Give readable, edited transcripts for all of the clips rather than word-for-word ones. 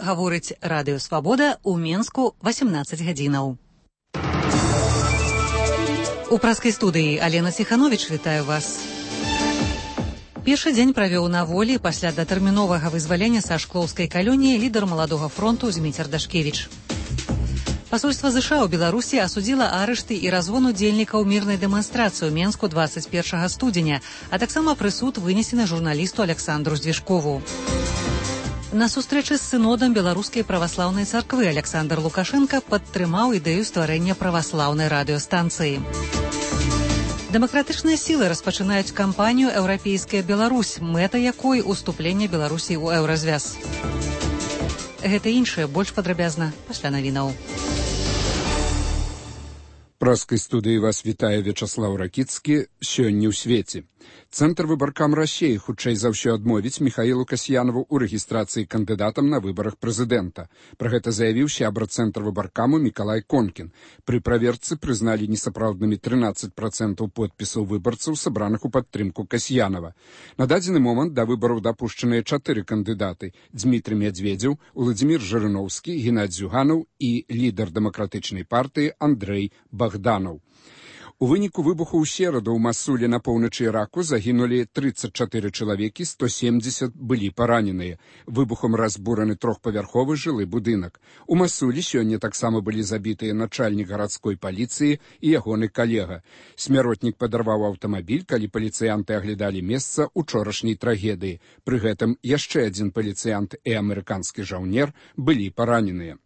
гаворыць Радыё Свабода ў Менску 18 гадзінаў. У праскай студыі Алена Ціхановіч, вітаю вас. Першы дзень правёў на волі пасля датэрміновага вызвалення са шклоўскай калоніі лідар маладога фронту Зміцер Дашкевіч. Пасольства ЗША ў Беларусі асудзіла арышты і разгон удзельнікаў мірнай дэманстрацыі ў Менску 21 студзеня, а таксама прысуд вынесены журналісту Александру Здвижкову. На сустрэчы з сынодам Беларускай праваслаўнай царквы Александр Лукашенко падтрымаў ідэю стварэння праваслаўнай радыёстанцыі. Дэмакратычныя сілы распачынаюць кампанію «Еўрапейская Беларусь», мэта якой уступленне Беларусі ў еўразвяз. Гэта іншае больш падрабязна пасля навінаў. Праскай студыі вас вітае Вячаслаў Ракіцкі. Сёння ў свеце. Цэнтр выбаркам Расіі хутчэй за ўсё адмовіць Міхаілу Касьянову ў рэгістрацыі кандыдатам на выбарах прэзідэнта. Пра гэта заявіў сябра цэнтр выбаркаму Мікалай Конкін. Пры праверцы прызналі несапраўднымі 13% подпісаў выбарцаў, сабраных у падтрымку Касьянова. На дадзены момант да выбараў дапушчаныя 4 кандыдаты: Дзмітрый Мядзведзеў, Уладзімір Жырыноўскі, Геннадзь Зюганаў і лідар дэмакратычнай партыі Андрэй Багданаў. У выніку выбуху ў сераду ў Масуле на поўначы Іраку загінулі 34 чалавекі, 170 былі параненыя. Выбухам разбураны трохпавярховы жылы будынак. У Масуле сёння таксама былі забітыя начальнік гарадской паліцыі і ягоны калега. Смяротнік падарваў аўтамабіль, калі паліцыянты аглядалі месца учорашняй трагедыі. Пры гэтым яшчэ адзін паліцыянт і амерыканскі жаўнер былі параненыя.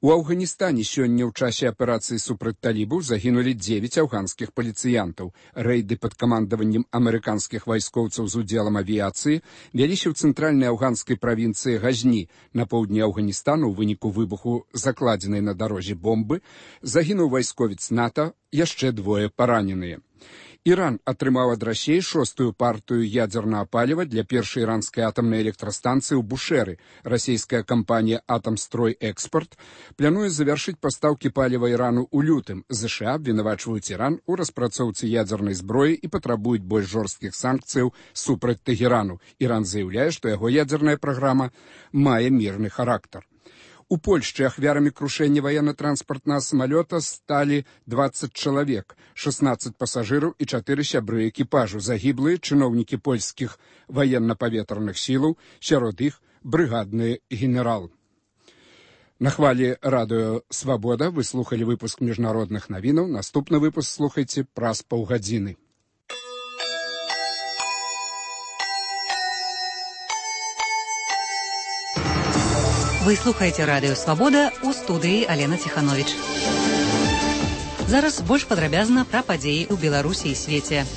У Афганістане сёння ў часе аперацыі супраць талібаў загінулі 9 афганскіх паліцыянтаў. Рэйды пад камандаваннем амерыканскіх вайскоўцаў з удзелам авіяцыі вяліся ў цэнтральнай афганскай правінцыі Газні. На поўдні Афганістану ў выніку выбуху закладзенай на дарозе бомбы загінуў вайсковец НАТО, яшчэ 2 параненыя. Іран атрымаў ад Расіі 6-ю партыю ядзернага паліва для першай іранскай атамнай электрастанцыі ў Бушэры. Расійская кампанія «Атамстрой Экспорт» плануе завяршыць пастаўкі паліва Ірану ў лютым. ЗША абвінавачваюць Іран у распрацоўцы ядзернай зброі і патрабуюць больш жорсткіх санкцыяў супраць Тэгерану. Іран заяўляе, што яго ядзерная праграма мае мірны характар. У Польшчы ахвярамі крушэння ваенна-транспартнага самалёта сталі 20 чалавек, 16 пасажыраў і 4 сябры экіпажу. Загіблыя чыноўнікі польскіх ваенна-паветраных сілаў, сярод іх брыгадны генерал. На хвалі Радыё Свабода вы слухалі выпуск міжнародных навінаў. Наступны выпуск слухайце праз паўгадзіны. Вы слухаеце Радыё Свабода, у студыі Алена Ціхановіч. Зараз больш падрабязна пра падзеі ў Беларусі і свеце.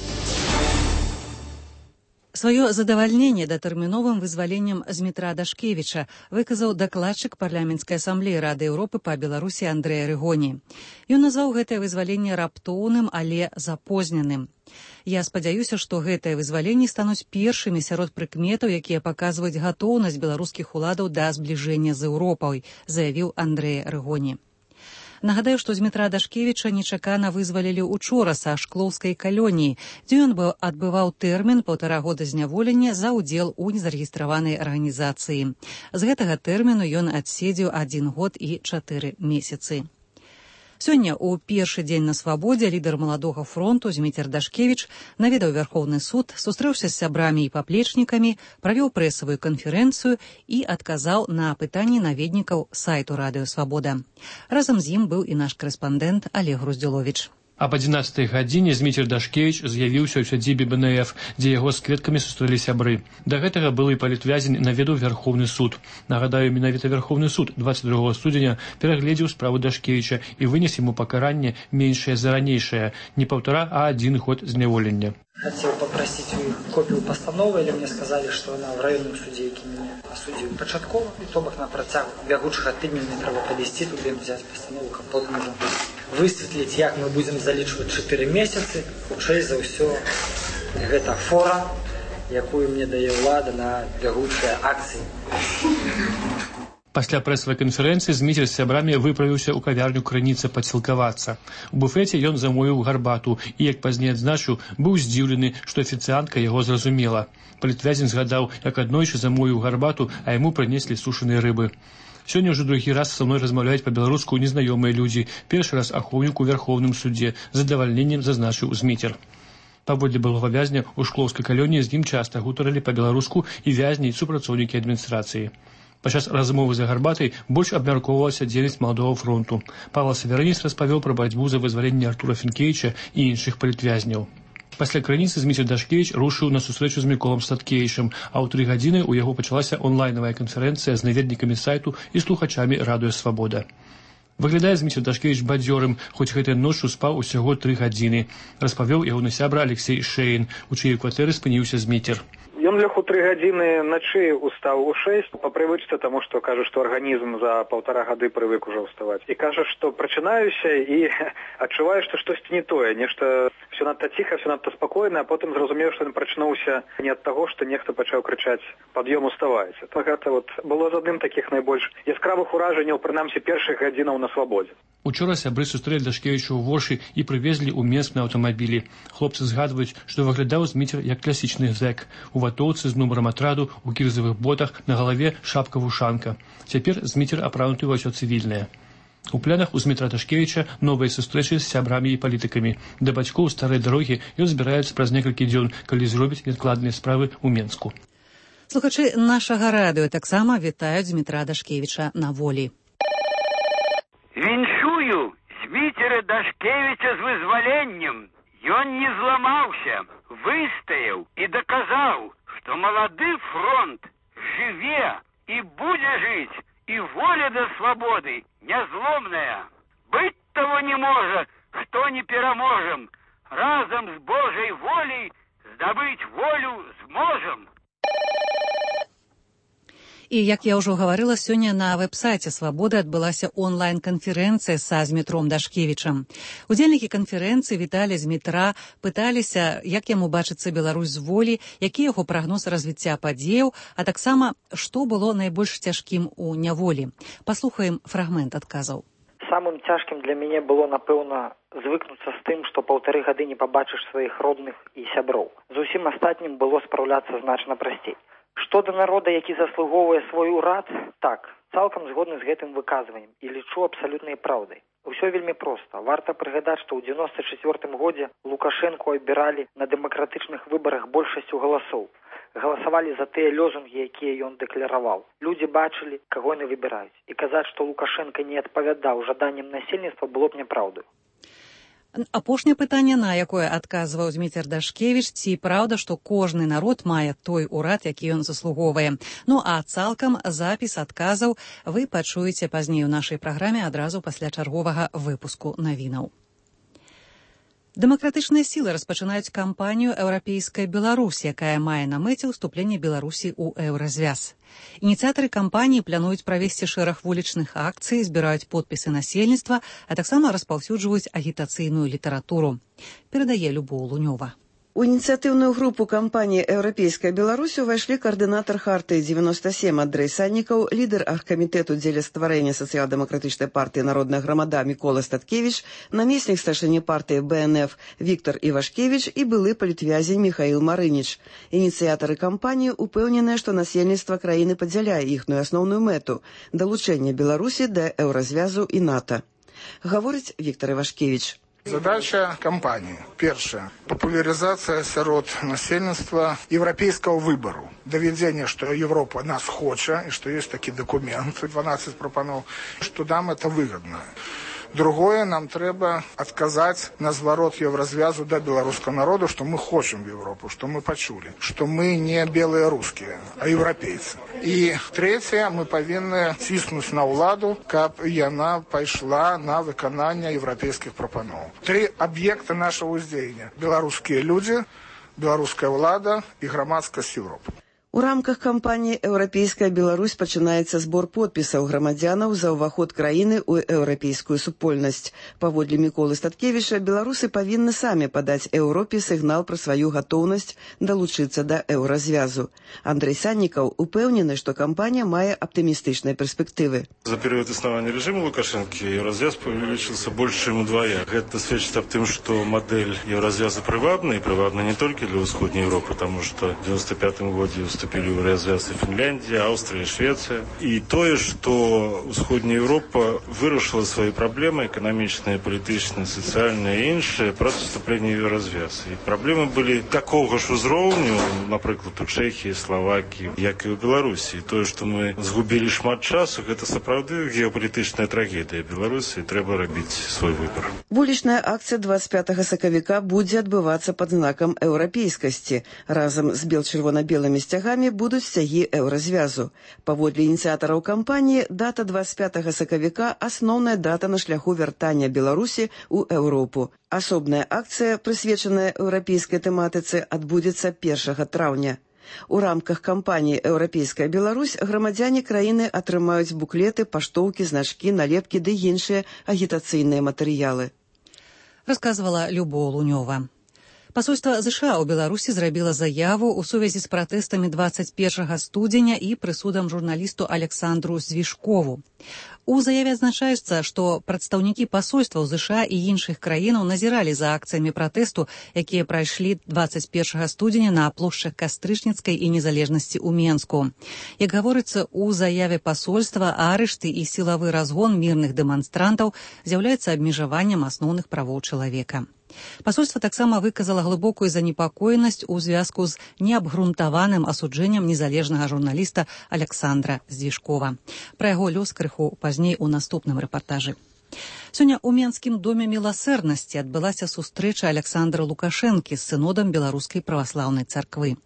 Сваё задавальненне датэрміновым вызваленнем Змітра Дашкевіча выказаў дакладчык парламенцкай асамблеі Рады Еўропы па Беларусі Андрэй Арыгоні. Ён назваў гэтае вызваленне раптоўным, але запозненым. Я спадзяюся, што гэтыя вызваленні стануць першымі сярод прыкметаў, якія паказваюць гатоўнасць беларускіх уладаў да збліжэння з Еўропай, заявіў Андрэй Арыгоні. Нагадаю, што Змітра Дашкевіча нечакана вызвалілі учора са шклоўскай калоніі, дзе ён адбываў тэрмін 1,5 года зняволення за ўдзел у незарэгістраванай арганізацыі. З гэтага тэрміну ён адседзеў 1 год і 4 месяцы. Сёння ў першы дзень на свабодзе лідар маладога фронту Зміцер Дашкевіч наведаў Вярхоўны суд, сустрэўся з сябрамі і паплечнікамі, правёў прэсавую канферэнцыю і адказаў на пытанні наведнікаў сайту Радыё Свабода. Разам з ім быў і наш корэспандэнт Олег Груздзюловіч. Аб 11 гадзіне Зміцер Дашкевіч з'явіўся ў сядзібе БНФ, дзе яго з кветкамі сустрэлі сябры. Да гэтага былы палітвязень наведаў Вярхоўны суд. Нагадаю, менавіта Вярхоўны суд 22 студзеня перагледзеў справу Дашкевіча і вынес яму пакаранне меншае за ранейшае, не 1,5, а 1 год зняволення. Хотел попросить у них копию постановы, или мне сказали, что она в районном суде, які меня осудил початково, и то бок на протяг бягучага тыдня мне трэба падысці туды взять постанову, каб потым уже высветліць, як мы будем залічваць 4 месяцы. Хутчэй за ўсё гэта фора, якую мне дае ўлада на бягучыя акцыі. Пасля прэсавай канферэнцыі Зміцер з сябрамі выправіўся ў кавярню «Крыніца» падсілкавацца. У буфеце ён замовіў гарбату і, як пазней адзначыў, быў здзіўлены, што афіцыантка яго зразумела. Палітвязень згадаў, як аднойчы замовіў гарбату, а яму прынеслі сушаныя рыбы. Сёння ўжо другі раз са мной размаўляюць па-беларуску незнаёмыя людзі. Першы раз ахоўнік у Вярхоўным судзе. З задавальненнем зазначыў Зміцер. Паводле былога вязня ў шклоўскай калоніі з ім часта гутарылі па-беларуску і вязні і супрацоўнікі адміністрацыі. Падчас размовы за гарбатай больш абмяркоўвалася дзейнасць маладога фронту. Павел Северинец распавёў пра барацьбу за вызваленне Артура Фінкевіча і іншых палітвязняў. Пасля крыніцы Зміцер Дашкевіч рушыў на сустрэчу з Міколам Статкевічам, а ў 3 гадзіны ў яго пачалася онлайнавая канферэнцыя з наведнікамі сайту і слухачамі радыё «Свабода». Выглядае Зміцер Дашкевіч бадзёрым, хоць гэтай ноччу спаў усяго 3 гадзіны, распавёў ягоны сябра Алексей Шэйн, у чыёй кватэры спыніўся Зміцер. Ён лег у 3 гадзіны ночы, устаў у 6, по прывычцы, таму што кажа, што арганізм за 1,5 гады прывык ужо ўставаць. І кажа, што прачынаюся і адчуваю, што штосьці не тое, нешта все надта ціха, все надта спакойна, а потым зразумеў, што ён прачнуўся не ад таго, што нехта пачаў крычаць «Пад'ём, уставайце». Гэта было з адным такіх найбольш яскравых уражанняў, прынамсі першых гадзінаў на свабодзе. Учора сябры сустрэлі Дашкевіча ў Воршы і прывезлі ў Менск на аўтамабілі. Хлопцы згадваюць, што выглядаў Зміцер як класічны зэк. У ватоўцы з нумарам атраду, у кірзавых ботах, на галаве шапка-вушанка. Цяпер Зміцер апрануты ва ўсё цывільнае. У планах у Змітра Дашкевіча новыя сустрэчы з сябрамі і палітыкамі. Да бацькоў старай дарогі ён збіраецца праз некалькі дзён, калі зробіць неадкладныя справы ў Менску. Слухачы нашага радыё таксама вітаюць Змітра Дашкевіча на волі. Віншую Зміцера Дашкевіча з вызваленнем. Ён не зламаўся, выстаяў і даказаў, што малады фронт жыве і будзе жыць, і воля да свабоды нязломная. Быць того не можа, хто не пераможам. Разам з Божай волей здабыць волю зможам. І, як я ўжо гаварыла, сёння на вэб-сайце «Свабоды» адбылася онлайн-канферэнцыя са Змітром Дашкевічам. Удзельнікі канферэнцыі віталі Змітра, пыталіся, як яму бачыцца Беларусь з волі, які яго прагноз развіцця падзеяў, а таксама, што было найбольш цяжкім у няволі. Паслухаем фрагмент адказаў. Самым цяжкім для мяне было, напэўна, звыкнуцца з тым, што 1,5 гады не пабачыш сваіх родных і сяброў. З усім астатнім было спраўляцца значна прасцей. Што да народа, які заслугоўвае свой урад, так, цалкам згодны з гэтым выказваннем і лічу абсалютнай праўдай. Усё вельмі проста. Варта прыгадаць, што ў 94 годзе Лукашэнку абіралі на дэмакратычных выбарах большасцю галасоў. Галасавалі за тыя лозунгі, якія ён дэклараваў. Людзі бачылі, каго яны выбіраюць. І казаць, што Лукашэнка не адпавядаў жаданням насельніцтва, было б няпраўдаю. Апошняе пытанне, на якое адказваў Зміцер Дашкевіч, ці праўда, што кожны народ мае той урад, які ён заслугоўвае. Ну а цалкам запіс адказаў вы пачуеце пазней у нашай праграме адразу пасля чарговага выпуску навінаў. Дэмакратычныя сілы распачынаюць кампанію «Еўрапейская Беларусь», якая мае на мэце ўступленне Беларусі ў еўразвяз. Ініцыятары кампаніі плануюць правесці шэраг вулічных акцый, збіраюць подпісы насельніцтва, а таксама распаўсюджваюць агітацыйную літаратуру. Перадае Любоў Лунёва. У ініцыятыўную групу кампаніі «Еўрапейская Беларусь» увайшлі каардынатар Хартыі 97 Андрэй Саннікаў, лідар аргкамітэту дзеля стварэння сацыял-дэмакратычнай партыі «Народная грамада» Мікола Статкевіч, намеснік старшыні партыі БНФ Віктор Івашкевіч і былы палітвязень Міхаіл Марыніч. Ініцыятары кампаніі упэўненыя, што насельніцтва краіны падзяляе іхную асноўную мэту – далучэнне Беларусі да еўразвязу і НАТО. Гаворыць Віктор Івашкевіч. Задача кампании. Первое. Популяризация сярод насельніцтва европейского выбору. Доведение, что Европа нас хочет, и что есть такие документы, 12 пропанов, что нам это выгодно. Другое, нам трэба адказаць на зварот еўразвязу да беларускага народу, што мы хочам Европу, што мы пачулі, што мы не белыя рускія, а еўрапейцы. І трэцяе, мы павінны ціснуць на ўладу, каб яна пайшла на выкананне еўрапейскіх прапаноў. 3 аб'екты нашага ўздзеяння: беларускія людзі, беларуская ўлада і грамадскасць Европы. У рамках кампаніі «Еўрапейская Беларусь» пачынаецца збор подпісаў грамадзянаў за ўваход краіны ў еўрапейскую супольнасць. Паводле Міколы Статкевіча, беларусы павінны самі падаць Еўропе сігнал пра сваю гатоўнасць далучыцца да еўразвязу. Андрей Саннікаў упэўнены, што кампанія мае аптымістычныя перспектывы. За перыяд існавання рэжыму Лукашэнкі еўразвяз павялічыўся больш, чым удвая. Гэта сведчыць аб тым, што мадэль еўразвяза прывабна, і прывабна не толькі для ўсходняй Еўропы, таму што в 95-м годзе вступили в развязы Финляндия, Австрия, Швеция. И то, что Усходняя Европа вырашила свои проблемы экономичные, политические, социальные и іншие просто вступление в развяз. И проблемы были такого ж узроўню, например, у Чехии, Словакии, як и у Беларуси. И то, что мы сгубили шмат часу, это сапраўды геополитичная трагедия Беларуси, и трэба рабіць свой выбор. Вулічная акцыя 25 сакавіка будзе адбывацца пад знакам еўрапейскасці. Разам з бел-чырвона-белымі сцягамі будуць сцягі еўразвязу. Паводле ініцыятараў кампаніі, дата 25 сакавіка – асноўная дата на шляху вяртання Беларусі ў Еўропу. Асобная акцыя, прысвечаная еўрапейскай тэматыцы, адбудзецца 1 траўня. У рамках кампаніі «Еўрапейская Беларусь» грамадзяне краіны атрымаюць буклеты, паштоўкі, значкі, налепкі ды іншыя агітацыйныя матэрыялы. Расказвала Любоў Лунёва. Пасольства США ў Беларусі зрабіла заяву ў сувязі з пратэстамі 21 студзеня і прысудам журналісту Александру Звішкову. У заяве адзначаецца, што прадстаўнікі пасольстваў США і іншых краінаў назіралі за акцыямі пратэсту, якія прайшлі 21 студзеня на плошчах Кастрычніцкай і Незалежнасці ў Менску. Як гаворыцца ў заяве пасольства, арышты і сілавы разгон мірных дэманстрантаў з'яўляецца абмежаваннем асноўных правоў чалавека. Пасольства таксама выказала глыбокую занепакоенасць у звязку з неабгрунтаваным асуджэннем незалежнага журналіста Александра Звішкова. Пра яго лёс крыху пазней у наступным рэпартажы. Сёння ў Менскім доме міласэрнасці адбылася сустрэча Александра Лукашэнкі з сынодам Беларускай праваслаўнай царквы.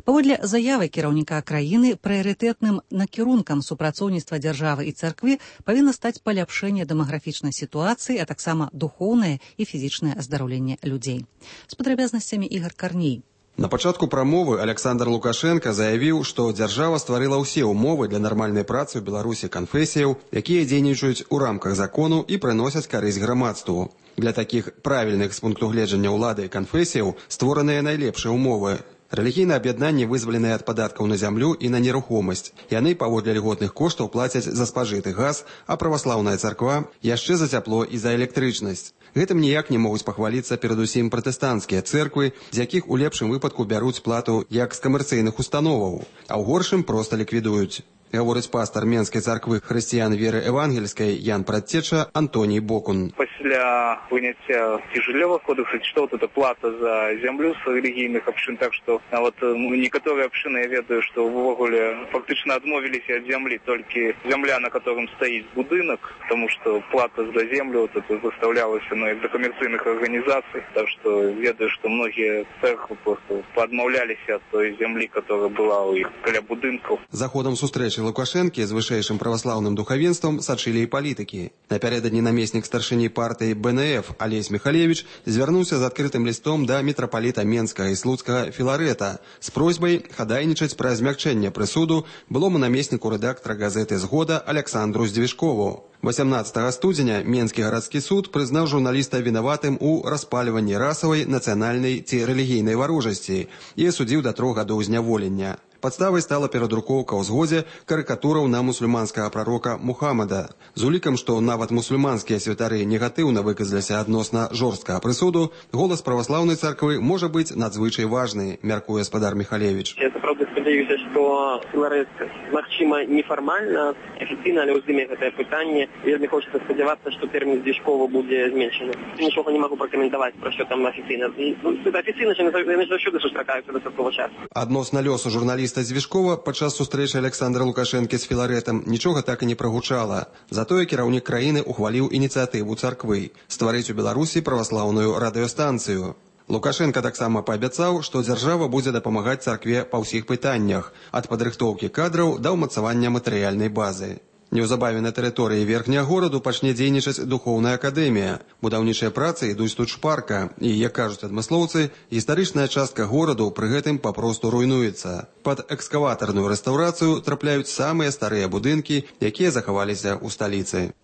Паводле заявы кіраўніка краіны, прыярытэтным накірункам супрацоўніцтва дзяржавы і царквы павінна стаць паляпшэнне дэмаграфічнай сітуацыі, а таксама духоўнае і фізічнае аздараўленне людзей. З падрабязнасцямі Ігор Карней. На пачатку прамовы Александр Лукашенко заявіў, што дзяржава стварыла ўсе ўмовы для нармальнай працы ў Беларусі канфесіяў, якія дзейнічаюць у рамках закону і прыносяць карысць грамадству. Для такіх правільных з пункту гледжання ўлады канфесіяў створаныя найлепшыя ўмовы. Рэлігійныя аб'яднанні вызваленыя ад падаткаў на зямлю і на нерухомасць. Яны паводле льготных коштаў плацяць за спажыты газ, а праваслаўная царква яшчэ за цяпло і за электрычнасць. Гэтым ніяк не могуць пахваліцца перадусім пратэстанцкія цэрквы, з якіх у лепшым выпадку бяруць плату як з камерцыйных установаў, а ў горшым проста ліквідуюць. Гаворыць пастар Менскай царквы хрысціян веры евангельскай Ян Прадцеча Антоній Бокун. Пасля выняцця цяжелевых кодексаў, што вот эта плата за зямлю з рэлігійных абшын, так што вот некаторыя абшыны, я ведаю, што ўвогуле фактычна адмовіліся ад зямлі, толькі зямля, на которым стаіць будынак, тому што плата за землю вот это заставлялася як да камерцыйных арганізацый, так што ведаю, што многія церквы просто падмаўляліся ад той зямлі, которая была ў іх каля будынкаў. За ходам сустрэчы Лукашэнкі з вышэйшым праваслаўным духавенствам сачылі і палітыкі. Напярэдадні намеснік старшыні партыі БНФ Алесь Михалевич звярнуўся з адкрытым лістом да мітрапаліта Менскага і Слуцкага Філарэта з просьбай хадайнічаць пра змякчэнне прысуду былому намесніку рэдактара газеты «Згода» Александру Звішкову. 18 студзеня Менскі гарадскі суд прызнаў журналіста вінаватым у распальванні расавай, нацыянальнай ці рэлігійнай варожасці і асудзіў да 3 гадоў зняволення. Падставай стала перадрукоўка ў «Згодзе» карыкатураў на мусульманскага прарока Мухаммада. З улікам, што нават мусульманскія святары негатыўна выказаліся адносна жорсткага прысуду, голас праваслаўнай царквы можа быць надзвычай важны, мяркуе спадар Михалевич. Я сапраўды спадзяюся, што Філарэт, магчыма, нефармальна, афіцыйна, але ўздыме гэтае пытанне. Вельмі хочацца спадзявацца, што тэрмін Звішкова будзе зменшаны. Нічога не магу пракаментаваць, пра што там афіцыйна. Афіцыйна яны заўсёды сустракаюцца да такога часу. Адносна лёсу журналіста Звішкова падчас сустрэчы Александра Лукашэнкі з Філарэтам нічога так і не прагучала. Затое кіраўнік краіны ухваліў ініцыятыву царквы стварыць у Беларусі праваслаўную радыёстанцыю. Лукашенко таксама паабяцаў, што дзяржава будзе дапамагаць царкве па ўсіх пытаннях, ад падрыхтоўкі кадраў да ўмацавання матэрыяльнай базы. Неўзабаве на тэрыторыі верхняга гораду пачне дзейнічаць духоўная акадэмія. Будаўнічыя працы ідуць тут шпарка, і, як кажуць адмыслоўцы, гістарычная частка гораду пры гэтым папросту руйнуецца. Пад экскаватарную рэстаўрацыю трапляюць самыя старыя будынкі, якія захаваліся ў сталіцы.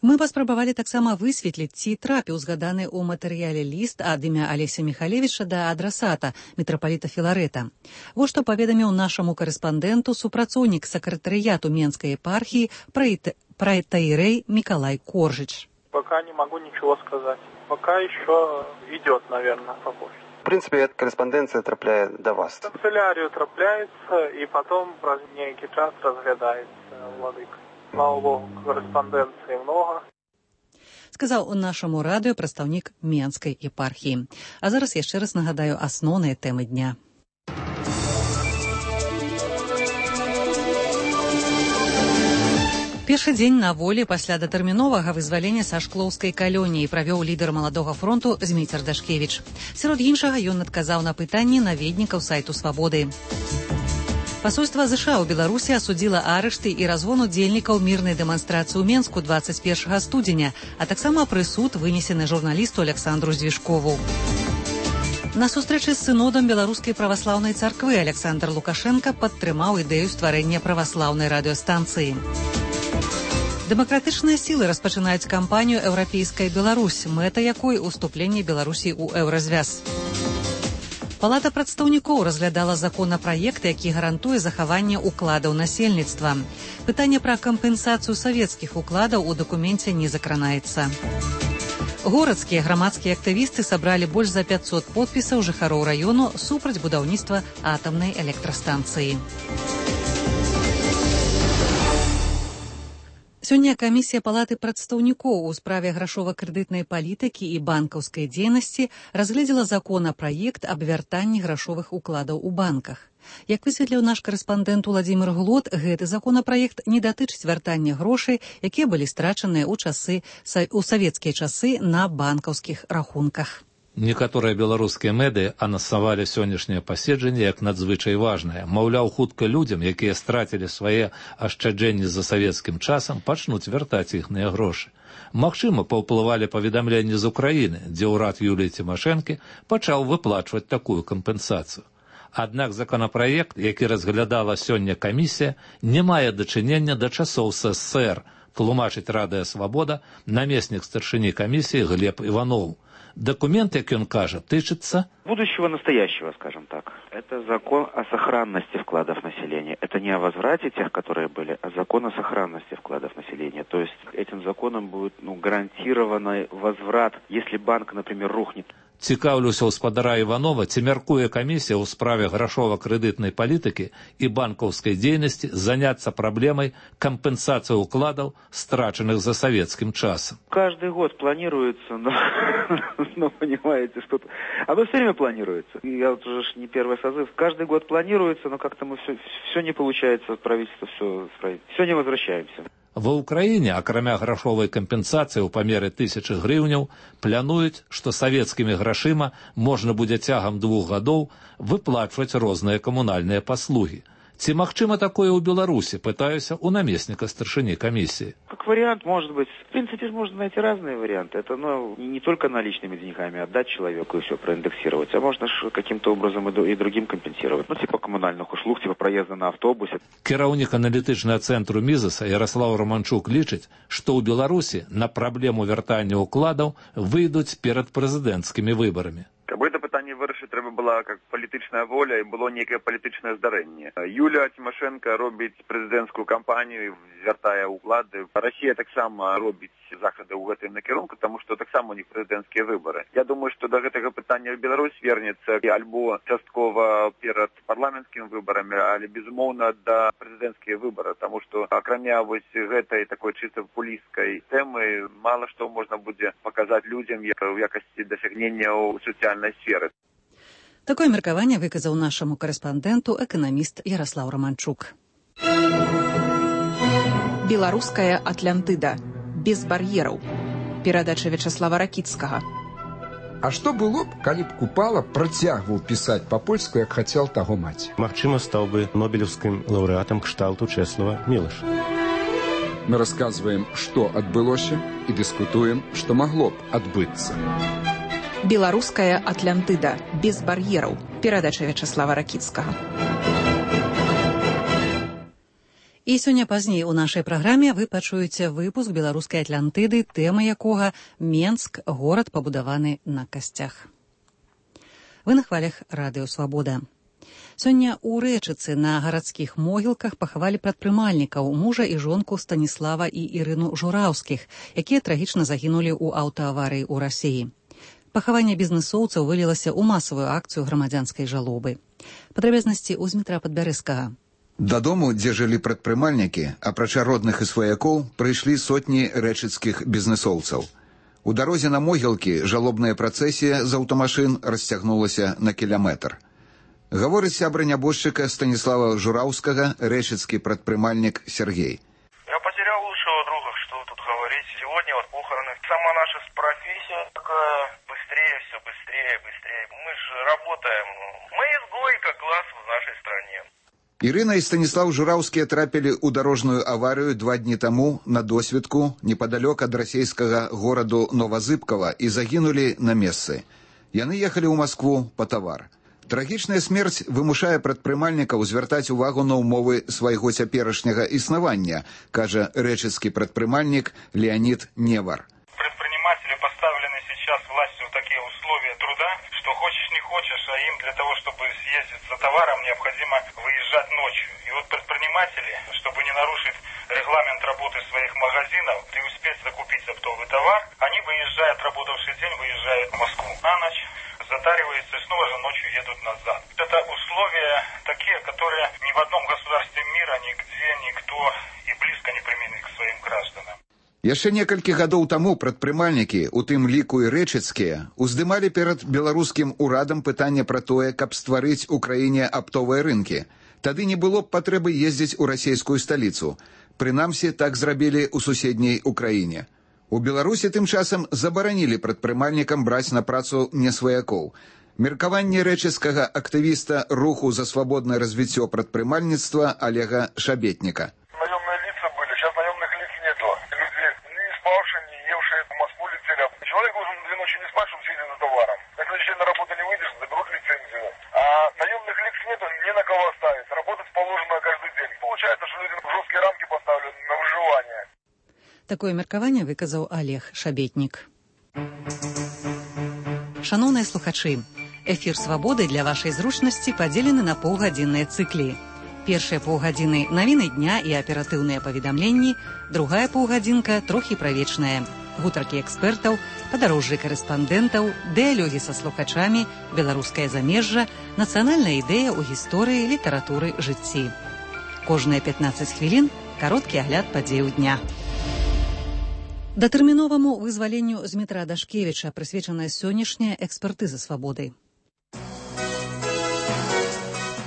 Мы паспрабавалі таксама высветліць, ці трапіў згаданы ў матэрыяле ліст ад імя Алеся Міхалевіча да адрасата мітрапаліта Філарэта. Вось што паведаміў нашаму карэспандэнту супрацоўнік сакратарыяту Менскай епархіі праэтаірэй Миколай Коржич. Пока не могу ничего сказать. Пока еще идет, наверное, по почте. В принципе, эта корреспонденция трапляет до вас. В канцелярию трапляется, и потом раз в некий час разглядается владыка. Слава Богу, корреспонденции много. Сказаў нашаму радыё прадстаўнік Менскай епархіі. А зараз яшчэ раз нагадаю асноўныя тэмы дня. Першы дзень на волі пасля датэрміновага вызвалення са шклоўскай калоніі правёў лідар маладога фронту Зміцер Дашкевіч. Сярод іншага ён адказаў на пытанні наведнікаў сайту «Свабоды». Пасольства США ў Беларусі асудзіла арышты і разгон удзельнікаў мірнай дэманстрацыі ў Менску 21 студзеня, а таксама прысуд вынесены журналісту Александру Звішкову. На сустрэчы з сынодам Беларускай праваслаўнай царквы Александр Лукашенка падтрымаў ідэю стварэння праваслаўнай радыёстанцыі. Дэмакратычныя сілы распачынаюць кампанію «Еўрапейская Беларусь», мэта якой уступленне Беларусі ў еўразвяз. Палата прадстаўнікоў разглядала законапраект, які гарантуе захаванне укладаў насельніцтва. Пытанне пра кампенсацыю савецкіх укладаў у дакуменце не закранаецца. Горадскія грамадскія актывісты сабралі больш за 500 подпісаў жыхароў раёну супраць будаўніцтва атамнай электрастанцыі. Сёння камісія Палаты прадстаўнікоў у справе грашова-крэдытнай палітыкі і банкаўскай дзейнасці разгледзела законапраект аб вяртанні грашовых укладаў у банках. Як высветліў наш карэспандэнт Уладзімір Глот, гэты законапраект не датычыць вяртання грошай, якія былі страчаныя ў савецкія часы на банкаўскіх рахунках. Некаторыя беларускія медыа анансавалі сённяшняе паседжанне як надзвычай важнае. Маўляў, хутка людзям, якія страцілі свае ашчаджэнні за савецкім часам, пачнуць вяртаць іхныя грошы. Магчыма, паўплывалі паведамленні з Украіны, дзе ўрад Юліі Цімашэнкі пачаў выплачваць такую кампенсацыю. Аднак законапраект, які разглядала сёння камісія, не мае дачынення да часоў СССР, тлумачыць Радыё Свабода намеснік старшыні камісіі Глеб Иванов. Документ, как он кажет, тычется будущего настоящего, скажем так. Это закон о сохранности вкладов населения. Это не о возврате тех, которые были, а закон о сохранности вкладов населения. То есть этим законом будет гарантированный возврат, если банк, например, рухнет. Цікаўлюся ў спадара Іванова, ці мяркуе камісія ў справе грашова-крэдытнай палітыкі і банкаўскай дзейнасці заняцца праблемай кампенсацыі ўкладаў, страчаных за савецкім часам. Каждый год планируется, но понимаете, что-то... Оно все время планируется. Я вот уже не первый созыв. Каждый год планируется, но как-то мы все не получается, правительство все не возвращаемся. Ва ўкраіне, акрамя грашовай кампенсацыі ў памеры 1000 грыўняў, плануюць, што савецкімі грашыма можна будзе цягам 2 гадоў выплачваць розныя камунальныя паслугі. Ці магчыма такое ў Беларусі, пытаюся у наместника старшыні комиссии. Как вариант, может быть. В принципе, можно найти разные варианты. Это не только наличными деньгами отдать человеку и все проиндексировать, а можно каким-то образом и другим компенсировать. Типа коммунальных услуг, типа проезда на автобусе. Кіраўнік аналітычнага цэнтру Мізаса Ярослав Романчук лічыць, што ў Беларусі на праблему вяртання укладаў выйдуць перад прэзідэнцкімі выбарамі. Каб гэта пытанне вырашыць, трэба была как палітычная воля і было некае палітычнае здарэнне. Юлія Цімашэнка робіць прэзідэнцкую кампанію, звяртае ўклады. Расія таксама робіць захады ў гэтым накірунку, таму што таксама у них прэзідэнцкія выбары. Я думаю, што да гэтага пытання Беларусь вернецца альбо часткова перад парламенцкімі выбарамі, але безумоўна да прэзідэнцкія выбары, таму што акрамя вось гэтай такой чыста папулісцкай тэмы мала што можна будзе паказаць людзям у якасці дасягнення ў сацыяльнай сферы. Такое меркаванне выказаў нашаму карэспандэнту эканаміст Ярослав Романчук. Беларуская Атлантыда. Без бар'ераў. Перадача Вячаслава Ракіцкага. А што было б, калі б Купала працягваў пісаць па-польску, як хацеў таго маці? Магчыма, стаў бы нобелеўскім лаўрэатам кшталту Чэслава Мілаша. Мы рассказываем, что адбылося, и дискутуем, что могло б адбыцца. Беларуская Атлантыда. Без бар'ераў. Перадача Вячаслава Ракіцкага. І сёння пазней у нашай праграме вы пачуеце выпуск беларускай Атлантыды, тэма якога Менск, горад, пабудаваны на касцях. Вы на хвалях радыё Свабода. Сёння ў Рэчыцы на гарадскіх могілках пахавалі прадпрымальнікаў, мужа і жонку Станіслава і Ірыну Жураўскіх, якія трагічна загінулі ў аўтааварыі ў Расіі. Пахаванне бізнэсоўцаў вылілася ў масавую акцыю грамадзянскай жалобы. Падрабязнасці ў Змітра Падбярэзкага. Дадому, дзе жылі прадпрымальнікі, апрача родных і сваякоў, прыйшлі сотні рэчыцкіх бізнэсоўцаў. У дарозе на могілкі жалобная працэсія з аўтамашын расцягнулася на кіляметр. Гаворыць сябра нябожчыка Станіслава Жураўскага, рэчыцкі прадпрымальнік Сергей. Я потерял лучшего друга, что тут говорить. Сегодня вот похороны. Сама наша профессия такая, быстрее, все быстрее, быстрее. Мы же работаем. Мы изгой, как класс в нашей стране. Ірына і Станіслав Жураўскія трапілі ў дарожную аварыю 2 дні таму на досведку непадалёк ад расійскага гораду Новазыбкава і загінулі на месцы. Яны ехалі ў Маскву па тавар. Трагічная смерць вымушае прадпрымальнікаў звяртаць увагу на ўмовы свайго цяперашняга існавання, кажа рэчыцкі прадпрымальнік Леонид Невар. Предприниматели поставлены сейчас властью в такие условия труда, что хочешь не хочешь, а им для того, чтобы съездить за товаром, необходимо выезжать ночью. И вот предприниматели, чтобы не нарушить регламент работы своих магазинов и успеть закупить оптовый товар, они, выезжая, отработавший день, выезжают в Москву на ночь, затариваются и снова же ночью едут назад. Это условия такие, которые ни в одном государстве мира, нигде никто и близко не применит к своим гражданам. Яшчэ некалькі гадоў таму прадпрымальнікі, у тым ліку і рэчыцкія, уздымалі перад беларускім урадам пытанне пра тое, каб стварыць у краіне аптовыя рынкі. Тады не было б патрэбы ездзіць у расійскую сталіцу. Прынамсі, так зрабілі ў суседняй Украіне. У Беларусі тым часам забаранілі прадпрымальнікам браць на працу несваякоў. Меркаванне рэчыцкага актывіста руху за свабоднае развіццё прадпрымальніцтва Олега Шабетніка. Наемные лица были, сейчас наемных лиц нету. Люди не спавшие, не евшие, в Москву летели. Человек должен 2 ночи не спать, чтобы сидеть за товаром. На следующий день на работу не выйдешь, заберут лицензию. А наемных лиц нету, не на кого оставить. Работать положено каждый день. Получается, что люди в жесткие рамки поставлены на выживание. Такое меркаванне выказаў Олег Шабетнік. Шаноўныя слухачы, эфір «Свабоды» для вашай зручнасці падзелены на паўгадзінныя цыклі. Першыя паўгадзіны навіны дня і аператыўныя паведамленні, другая паўгадзінка трохі правечная. Гутаркі экспертаў, падарожжы карэспандэнтаў, дыялогі са слухачамі, беларускае замежжа, нацыянальная ідэя ў гісторыі, літаратуры, жыцці. Кожныя 15 хвілін кароткі агляд падзеяў дня. Датэрміноваму вызваленню Змітра Дашкевіча прысвечаная сённяшняя экспертыза свабоды.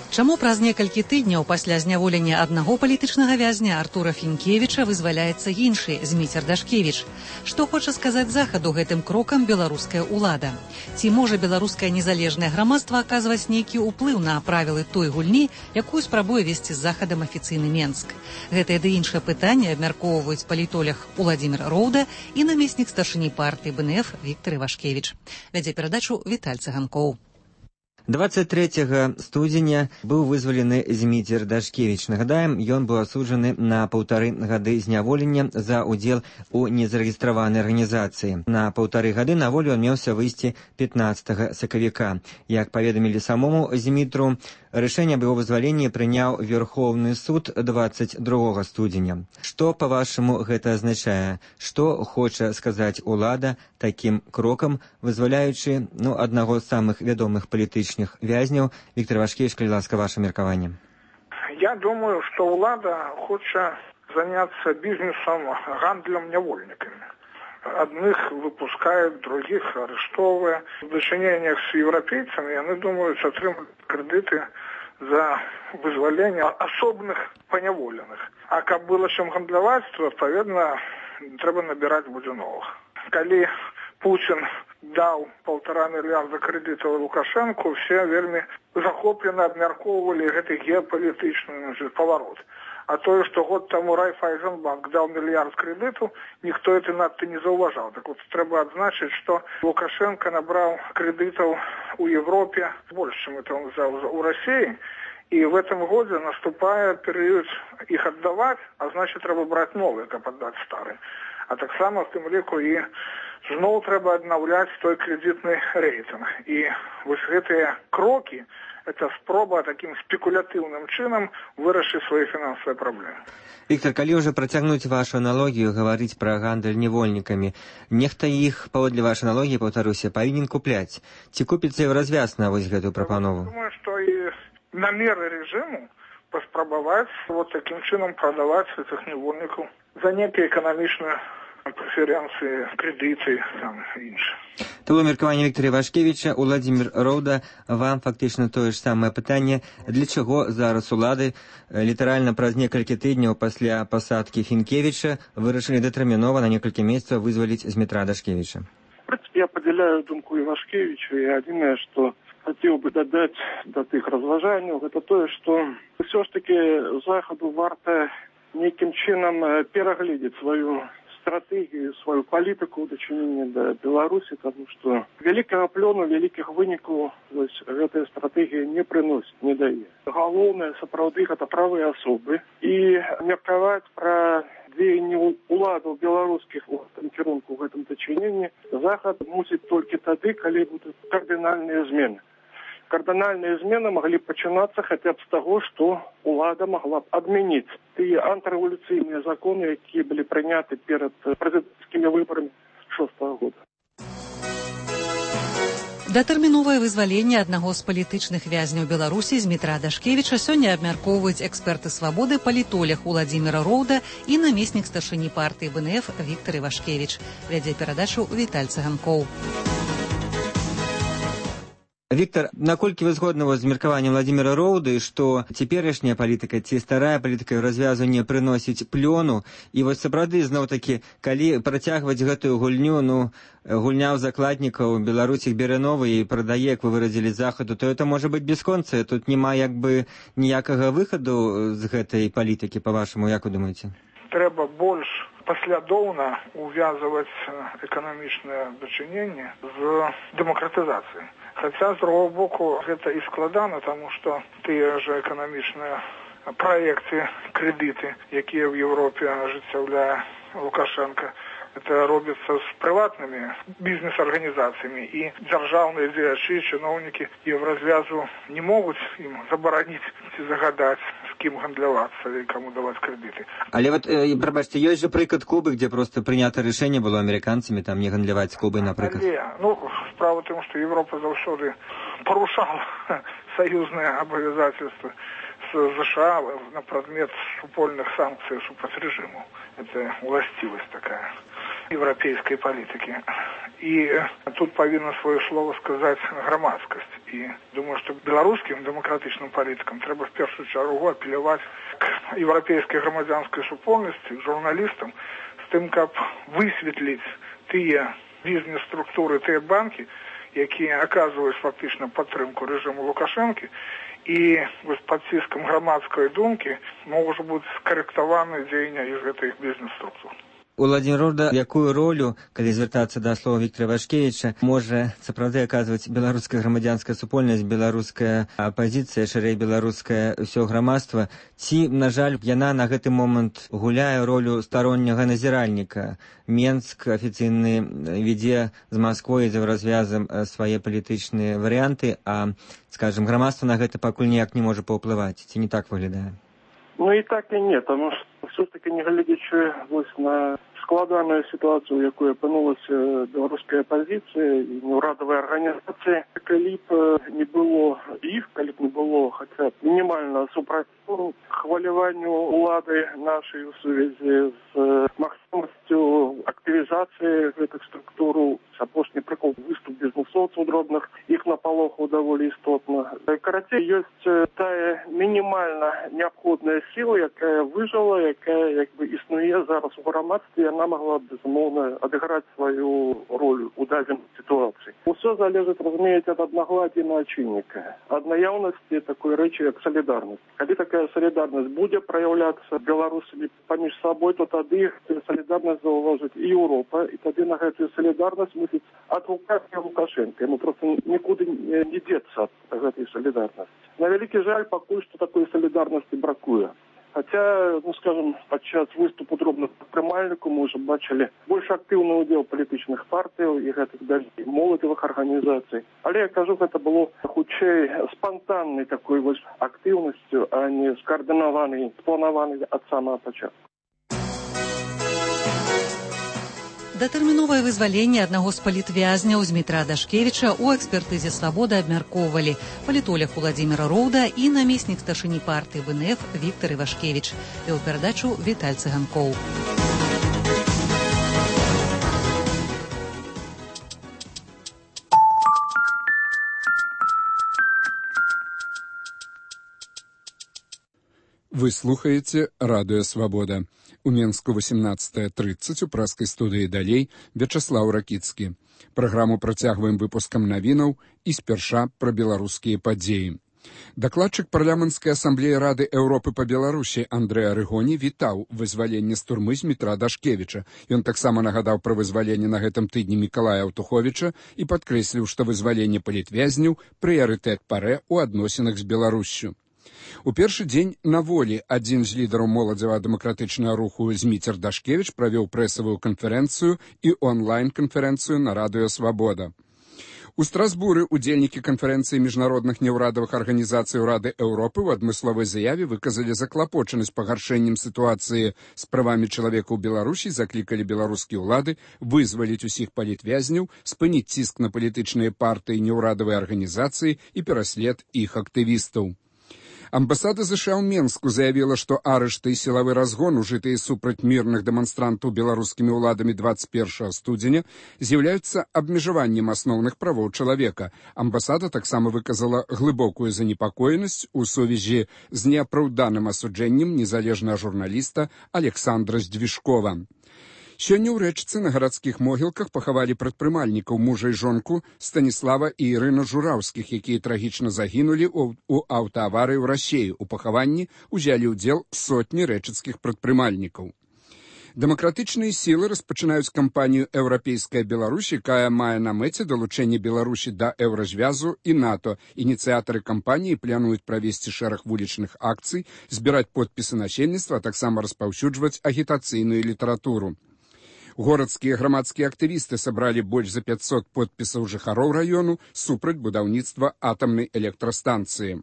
Чаму праз некалькі тыдняў пасля зняволення аднаго палітычнага вязня Артура Фінкевіча вызваляецца іншы Зміцер Дашкевіч? Што хоча сказаць захаду гэтым крокам беларуская ўлада? Ці можа беларускае незалежнае грамадства аказваць нейкі ўплыў на правілы той гульні, якую спрабуе весці з захадам афіцыйны Менск? Гэтае ды іншае пытанне абмяркоўваюць палітолог Уладзімір Роўда і намеснік старшыні партыі БНФ Віктор Івашкевіч. Вядзе перадачу Віталь Цыганкоў. 23 студзеня быў вызвалены Зміцер Дашкевіч. Нагадаем, ён быў асуджаны на 1,5 гады зняволення за ўдзел у незарэгістраванай арганізацыі. На 1,5 гады на волю ён меўся выйсці 15 сакавіка. Як паведамілі самому Змітру, рашэнне аб яго вызваленні прыняў Верховны суд 22 студзеня. Што, па-вашаму, гэта азначае? Што хоча сказаць улада такім крокам, вызваляючы аднаго з самых вядомых палітычных вязняў? Віктор Івашкевіч, калі ласка, ваше меркаванне. Я думаю, что влада хочет заняться бизнесом, гандлем невольниками. Одних выпускают, других арестовывают. В дочинениях с европейцами, они думают, отримать кредиты за вызволение особных поневоленных. А как было чем гандлевать, то, отповедно, треба набирать будет новых. Коли Путин даў 1,5 мільярда крэдытаў Лукашэнку, все вельмі захоплена абмяркоўвалі гэты геапалітычны паварот. А тое, што год таму Райфайзенбанк даў мільярд крэдыту, ніхто это надта не заўважаў. Так вот, трэба адзначыць, што Лукашенко набраў крэдытаў у Европе больш, чым это он взял у России, и в этом году наступает период их отдавать, а значит, трэба брать новые, каб отдать старые. А так само в тым ліку і зноў трэба аднаўляць той крэдытны рэйтынг. І вось гэтыя крокі, это спроба таким спекулятыўным чынам вырашыць свае фінансавыя праблемы. Віктор, калі ўжо працягнуць вашу аналогію, гаварыць пра гандаль невольнікамі, нехта іх, паводле вашай аналогіі, паўтаруся, павінен купляць. Ці купіцца і развяз на вось гэтую прапанову? Думаю, што і намеры рэжыму паспрабаваць вот таким чынам прадаваць гэтых невольнікаў за некія эканамічныя преференцыі, крэдыты, там, іншы. То было меркаванне Віктора Івашкевіча. Уладзімір Роўда, вам фактычна тое ж самае пытанне. Для чаго зараз улады літаральна праз некалькі тыдняў пасля пасадкі Фінкевіча вырашылі датэрмінова на некалькі месяцаў вызваліць Змітра Дашкевіча? В принципе, я поделяю думку Ивашкевича, и одиное, что хотел бы додать до тых разважанняў, это то, что все ж таки Заходу варта неким чином перагледзець свою стратегію, свою палітыку ў дачыненні да Беларусі, тому што вялікага плёну, вялікіх вынікаў гэтая стратэгія не прыносіць, не дае. Галоўнае, сапраўды, гэта правыя асобы. І меркаваць пра дзеянні уладаў беларускіх у гэтым кірунку, ў гэтым дачыненні Захад мусіць толькі тады, калі будуць кардынальныя змены. Кардынальныя змены маглі пачынацца хаця б з таго, што улада магла б адмяніць тыя антырэвалюцыйныя законы, якія былі прыняты перад прэзідэнцкімі выбарамі 6-го года. Датэрміновае вызваленне аднаго з палітычных вязняў Беларусі Змітра Дашкевіча сёння абмяркоўваюць эксперты свабоды, палітолог Уладзіміра Роўда і намеснік старшыні партыі БНФ Віктор Івашкевіч. Вядзе перадачу Віталь Цыганкоў. Віктор, наколькі вы згодны з меркаваннем Уладзіміра Роўды, што цяперашняя палітыка ці старая палітыка развязу не прыносіць плёну, і вось сапраўды зноў-такі, калі працягваць гэтую гульню, гульня ў закладнікаў, Беларусь іх бере новы і прадае, як вы выразілі, Захаду, то это можа быць бясконцыя, тут няма як бы ніякага выхаду з гэтай палітыкі, па-вашаму, як вы думаеце? Трэба больш паслядоўна увязываць эканамічнае дачыненне з дэмакратызацыяй. Хаця, з другого боку, гэта і складана, таму што тыя ж эканамічныя праекты, крэдыты, якія ў Европе ажыццяўляе Лукашенко, это робіцца з прыватнымі бізнес-арганізацыямі, і дзяржаўныя дзеячы, чыноўнікі Еўразвязу не могуць ім забараніць ці загадаць, з кім гандлявацца і каму даваць крэдыты. Але вот, прабачце, ёсць жа прыклад Кубы, где просто прынята рашэнне было амерыканцамі там не гандляваць з Кубай, напрыклад. Справа в том, что Европа заўсёды порушала союзные обязательства с США на предмет супольных санкций супраць режиму. Это властивость такая европейской политики. И тут повинна свое слово сказать громадскость. И думаю, что белорусским демократичным политикам треба в первую чергу апеллировать к европейской громадянской супольности, к журналистам, с тем, как высветлить тыя бізнес-структуры, тыя банкі, якія аказваюць фактычна падтрымку рэжыму Лукашэнкі, і пад ціскам грамадскай думкі могуць быць скарэктаваны дзеяння з гэтых бізнес-структур. Уладзімір Роўда, якую ролю, калі звяртацца да слова Віктора Івашкевіча, можа сапраўды аказваць беларуская грамадзянская супольнасць, беларуская апазіцыя, шырэй беларускае ўсё грамадства, ці, на жаль, яна на гэты момант гуляе ролю старонняга назіральніка? Менск афіцыйны ведзе з Масквой за развязам свае палітычныя варыянты, а, скажем, грамадства на гэта пакуль ніяк не можа паўплываць. Ці не так выглядае? Ну і так і не, тому що все-таки не глядячи ось на складаную ситуацию, в якой опинулася белорусская оппозиция и неурадовые организации, калі б не было их, калі б не было хотя бы минимального супротиву хвалеванию улады нашей в связи с максимностью активизации этих структур, апошні прикол выступ бизнесов эсэсоўцаў дробных, іх напалохаў даволі істотна. Карацей, ёсць тая мінімальна неабходная сіла, якая выжыла, якая як бы існуе зараз у грамадстве, яна магла б, безумоўна, адыграць сваю роль у дадзенай сітуацыі. Усё залежыць, разумееце, ад аднагладдзя начальніка, ад наяўнасці такой рэчы, як салідарнасць. Калі такая салідарнасць будзе праяўляцца беларусамі паміж сабой, то тады салідарнасць заўважыць і Еўропа, і тады на гэтую солідарнасць мусіць адгукаць Лукашенко. Яму проста нікуды не дзецца ад гэтай солідарнасці. На вялікі жаль, пакуль што такой солідарнасці бракуе. Хаця, скажем, падчас выступу дробных прадпрымальнікаў мы ўжо бачылі больш актыўны ўдзел палітычных партыяў і гэтых далей моладзевых арганізацый. Але я кажу, гэта было хутчэй спантаннай такой вось актыўнасцю, а не скаардынаванай, спланаванай ад самага пачатку. Датэрміновае вызваленне аднаго з палітвязняў Змітра Дашкевіча ў экспертызе «Свабода» абмяркоўвалі палітолог Уладзіміра Роўда і намеснік старшыні партыі БНФ Віктар Івашкевіч. Вёў перадачу Віталь Цыганкоў. Вы слухаеце радыё «Свабода». У Менску 18:30 у праскай студыі далей Вячаслаў Ракіцкі. Праграму працягваем выпускам навінаў і спярша пра беларускія падзеі. Дакладчык парламенцкай асамблеі Рады Еўропы па Беларусі Андрэй Арыгоні вітаў вызваленне з турмы Змітра Дашкевіча. Ён таксама нагадаў пра вызваленне на гэтым тыдні Мікалая Аўтуховіча і падкрэсліў, што вызваленне палітвязняў прыярытэт парэ ў адносінах з Беларуссю. У першы дзень на волі адзін з лідараў моладзева-дэмакратычнага руху Зміцер Дашкевіч правёў прэсавую канферэнцыю і онлайн-канферэнцыю на радыё «Свабода». У Страсбуры удзельнікі канферэнцыі міжнародных неўрадавых арганізацый Рады Еўропы ў адмысловай заяве выказалі заклапочанасць пагаршэннем сітуацыі з правамі чалавека ў Беларусі, заклікалі беларускія ўлады вызваліць усіх палітвязняў, спыніць ціск на палітычныя партыі, неўрадавыя арганізацыі і пераслед іх актывістаў. Амбасада США ў Менску заявіла, што арышты і сілавы разгон, ужытыя супраць мірных дэманстрантаў беларускімі ўладамі 21 студзеня, з'яўляюцца абмежаваннем асноўных правоў чалавека. Амбасада таксама выказала глыбокую занепакоенасць у сувязі з неапраўданым асуджэннем незалежнага журналіста Александра Здвижкова. Сёння ў рэчцы на гарадскіх могілках пахавалі прадпрымальнікаў мужа і жонку Станіслава і Ірына Жураўскіх, якія трагічна загінулі ў аўтааварыі ў Расеі. У пахаванні ўзялі ўдзел сотні рэчыцкіх прадпрымальнікаў. Дэмакратычныя сілы распачынаюць кампанію «Еўрапейская Беларусь», якая мае на мэце далучэнне Беларусі да еўразвязу і НАТО. Ініцыятары кампаніі плануюць правесці шэраг вулічных акцый, збіраць подпісы насельніцтва, а таксама распаўсюджваць агітацыйную літаратуру. Горадскія грамадскія актывісты сабралі больш за 500 подпісаў жыхароў раёну супраць будаўніцтва атамнай электрастанцыі.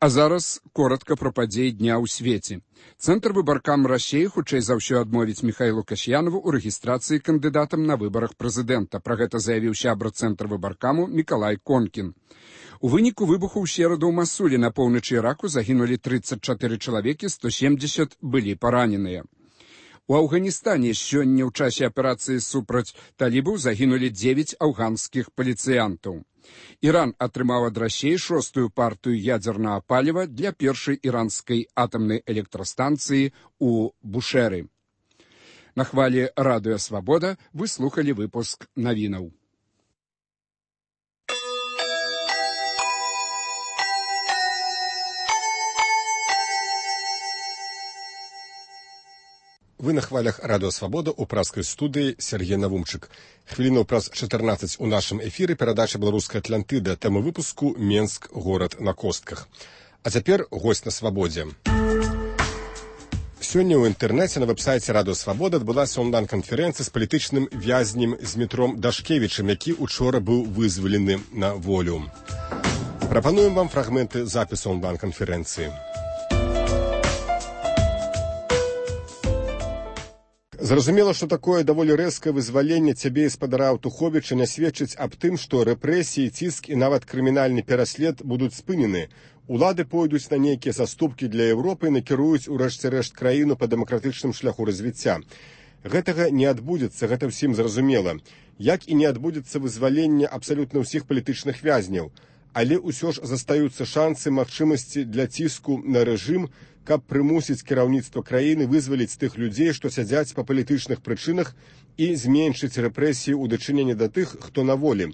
А зараз коротка пра падзеі дня ў свеце. Цэнтр выбаркам Расеі хутчэй за ўсё адмовіць Міхаілу Касьянову ў рэгістрацыі кандыдатам на выбарах прэзідэнта. Пра гэта заявіў сябра цэнтр выбаркаму Мікалай Конкін. У выніку выбуху ў сераду ў Масулі на поўначы Іраку загінулі 34 чалавекі, 170 былі параненыя. У Афганістане сёння ў часе аперацыі супраць талібаў загінулі 9 афганскіх паліцыянтаў. Іран атрымаў ад Расеі 6-ю партыю ядзернага паліва для першай іранскай атамнай электрастанцыі ў Бушэры. На хвалі радыё «Свабода» вы слухалі выпуск навінаў. Вы на хвалях радыё «Свабода» у праскай студыі Сергей Навумчык. Хвілінаў праз 14 у нашым эфіры перадача «Беларуская Атлантыда», тэма выпуску «Менск. Горад на костках». А цяпер госць на «Свабодзе». Сёння ў інтэрнэце на вэб-сайце радыё «Свабода» адбылася онлайн-канферэнцыя з палітычным вязнем Змітром Дашкевічам, які учора быў вызвалены на волю. Прапануем вам фрагменты запісу онлайн-канферэнцыі. Зразумела, што такое даволі рэзкае вызваленне цябе і спадара Аўтуховіча не сведчыць аб тым, што рэпрэсіі, ціск і нават крымінальны пераслед будуць спынены. Улады пойдуць на нейкія саступкі для Еўропы і накіруюць у рэшце рэшт краіну па дэмакратычным шляху развіцця. Гэтага не адбудзецца, гэта ўсім зразумела. Як і не адбудзецца вызваленне абсалютна ўсіх палітычных вязняў. Але ўсё ж застаюцца шансы, магчымасці для ціску на рэжым, каб прымусіць кіраўніцтва краіны вызваліць тых людзей, што сядзяць па палітычных прычынах, і зменшыць рэпрэсіі ў дачыненні да тых, хто на волі.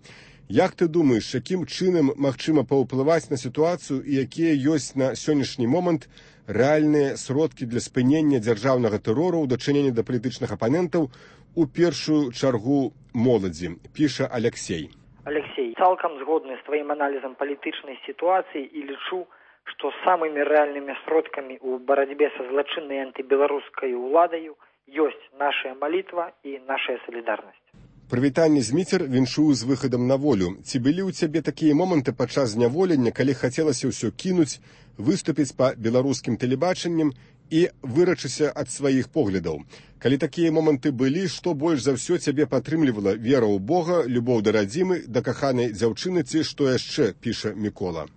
Як ты думаеш, якім чынам магчыма паўплываць на сітуацыю і якія ёсць на сённяшні момант рэальныя сродкі для спынення дзяржаўнага тэрору ў дачыненні да палітычных апанентаў, у першую чаргу моладзі, піша Алексей. Алексей, цалкам згодны з тваім аналізам палітычнай сітуацыі і лічу, што самымі рэальнымі сродкамі ў барацьбе са злачыннай антыбеларускай уладаю ёсць наша малітва і наша салідарнасць. Прывітанне, Зміцер, віншую з выхадам на волю. Ці былі ў цябе такія моманты падчас зняволення, калі хацелася ўсё кінуць, выступіць па беларускім тэлебачаннем і вырачыся ад сваіх поглядаў? Калі такія моманты былі, што больш за ўсё цябе падтрымлівала? Вера ў Бога, любоў да радзімы, да каханай дзяўчыны, ці што яшчэ, піша Мікола.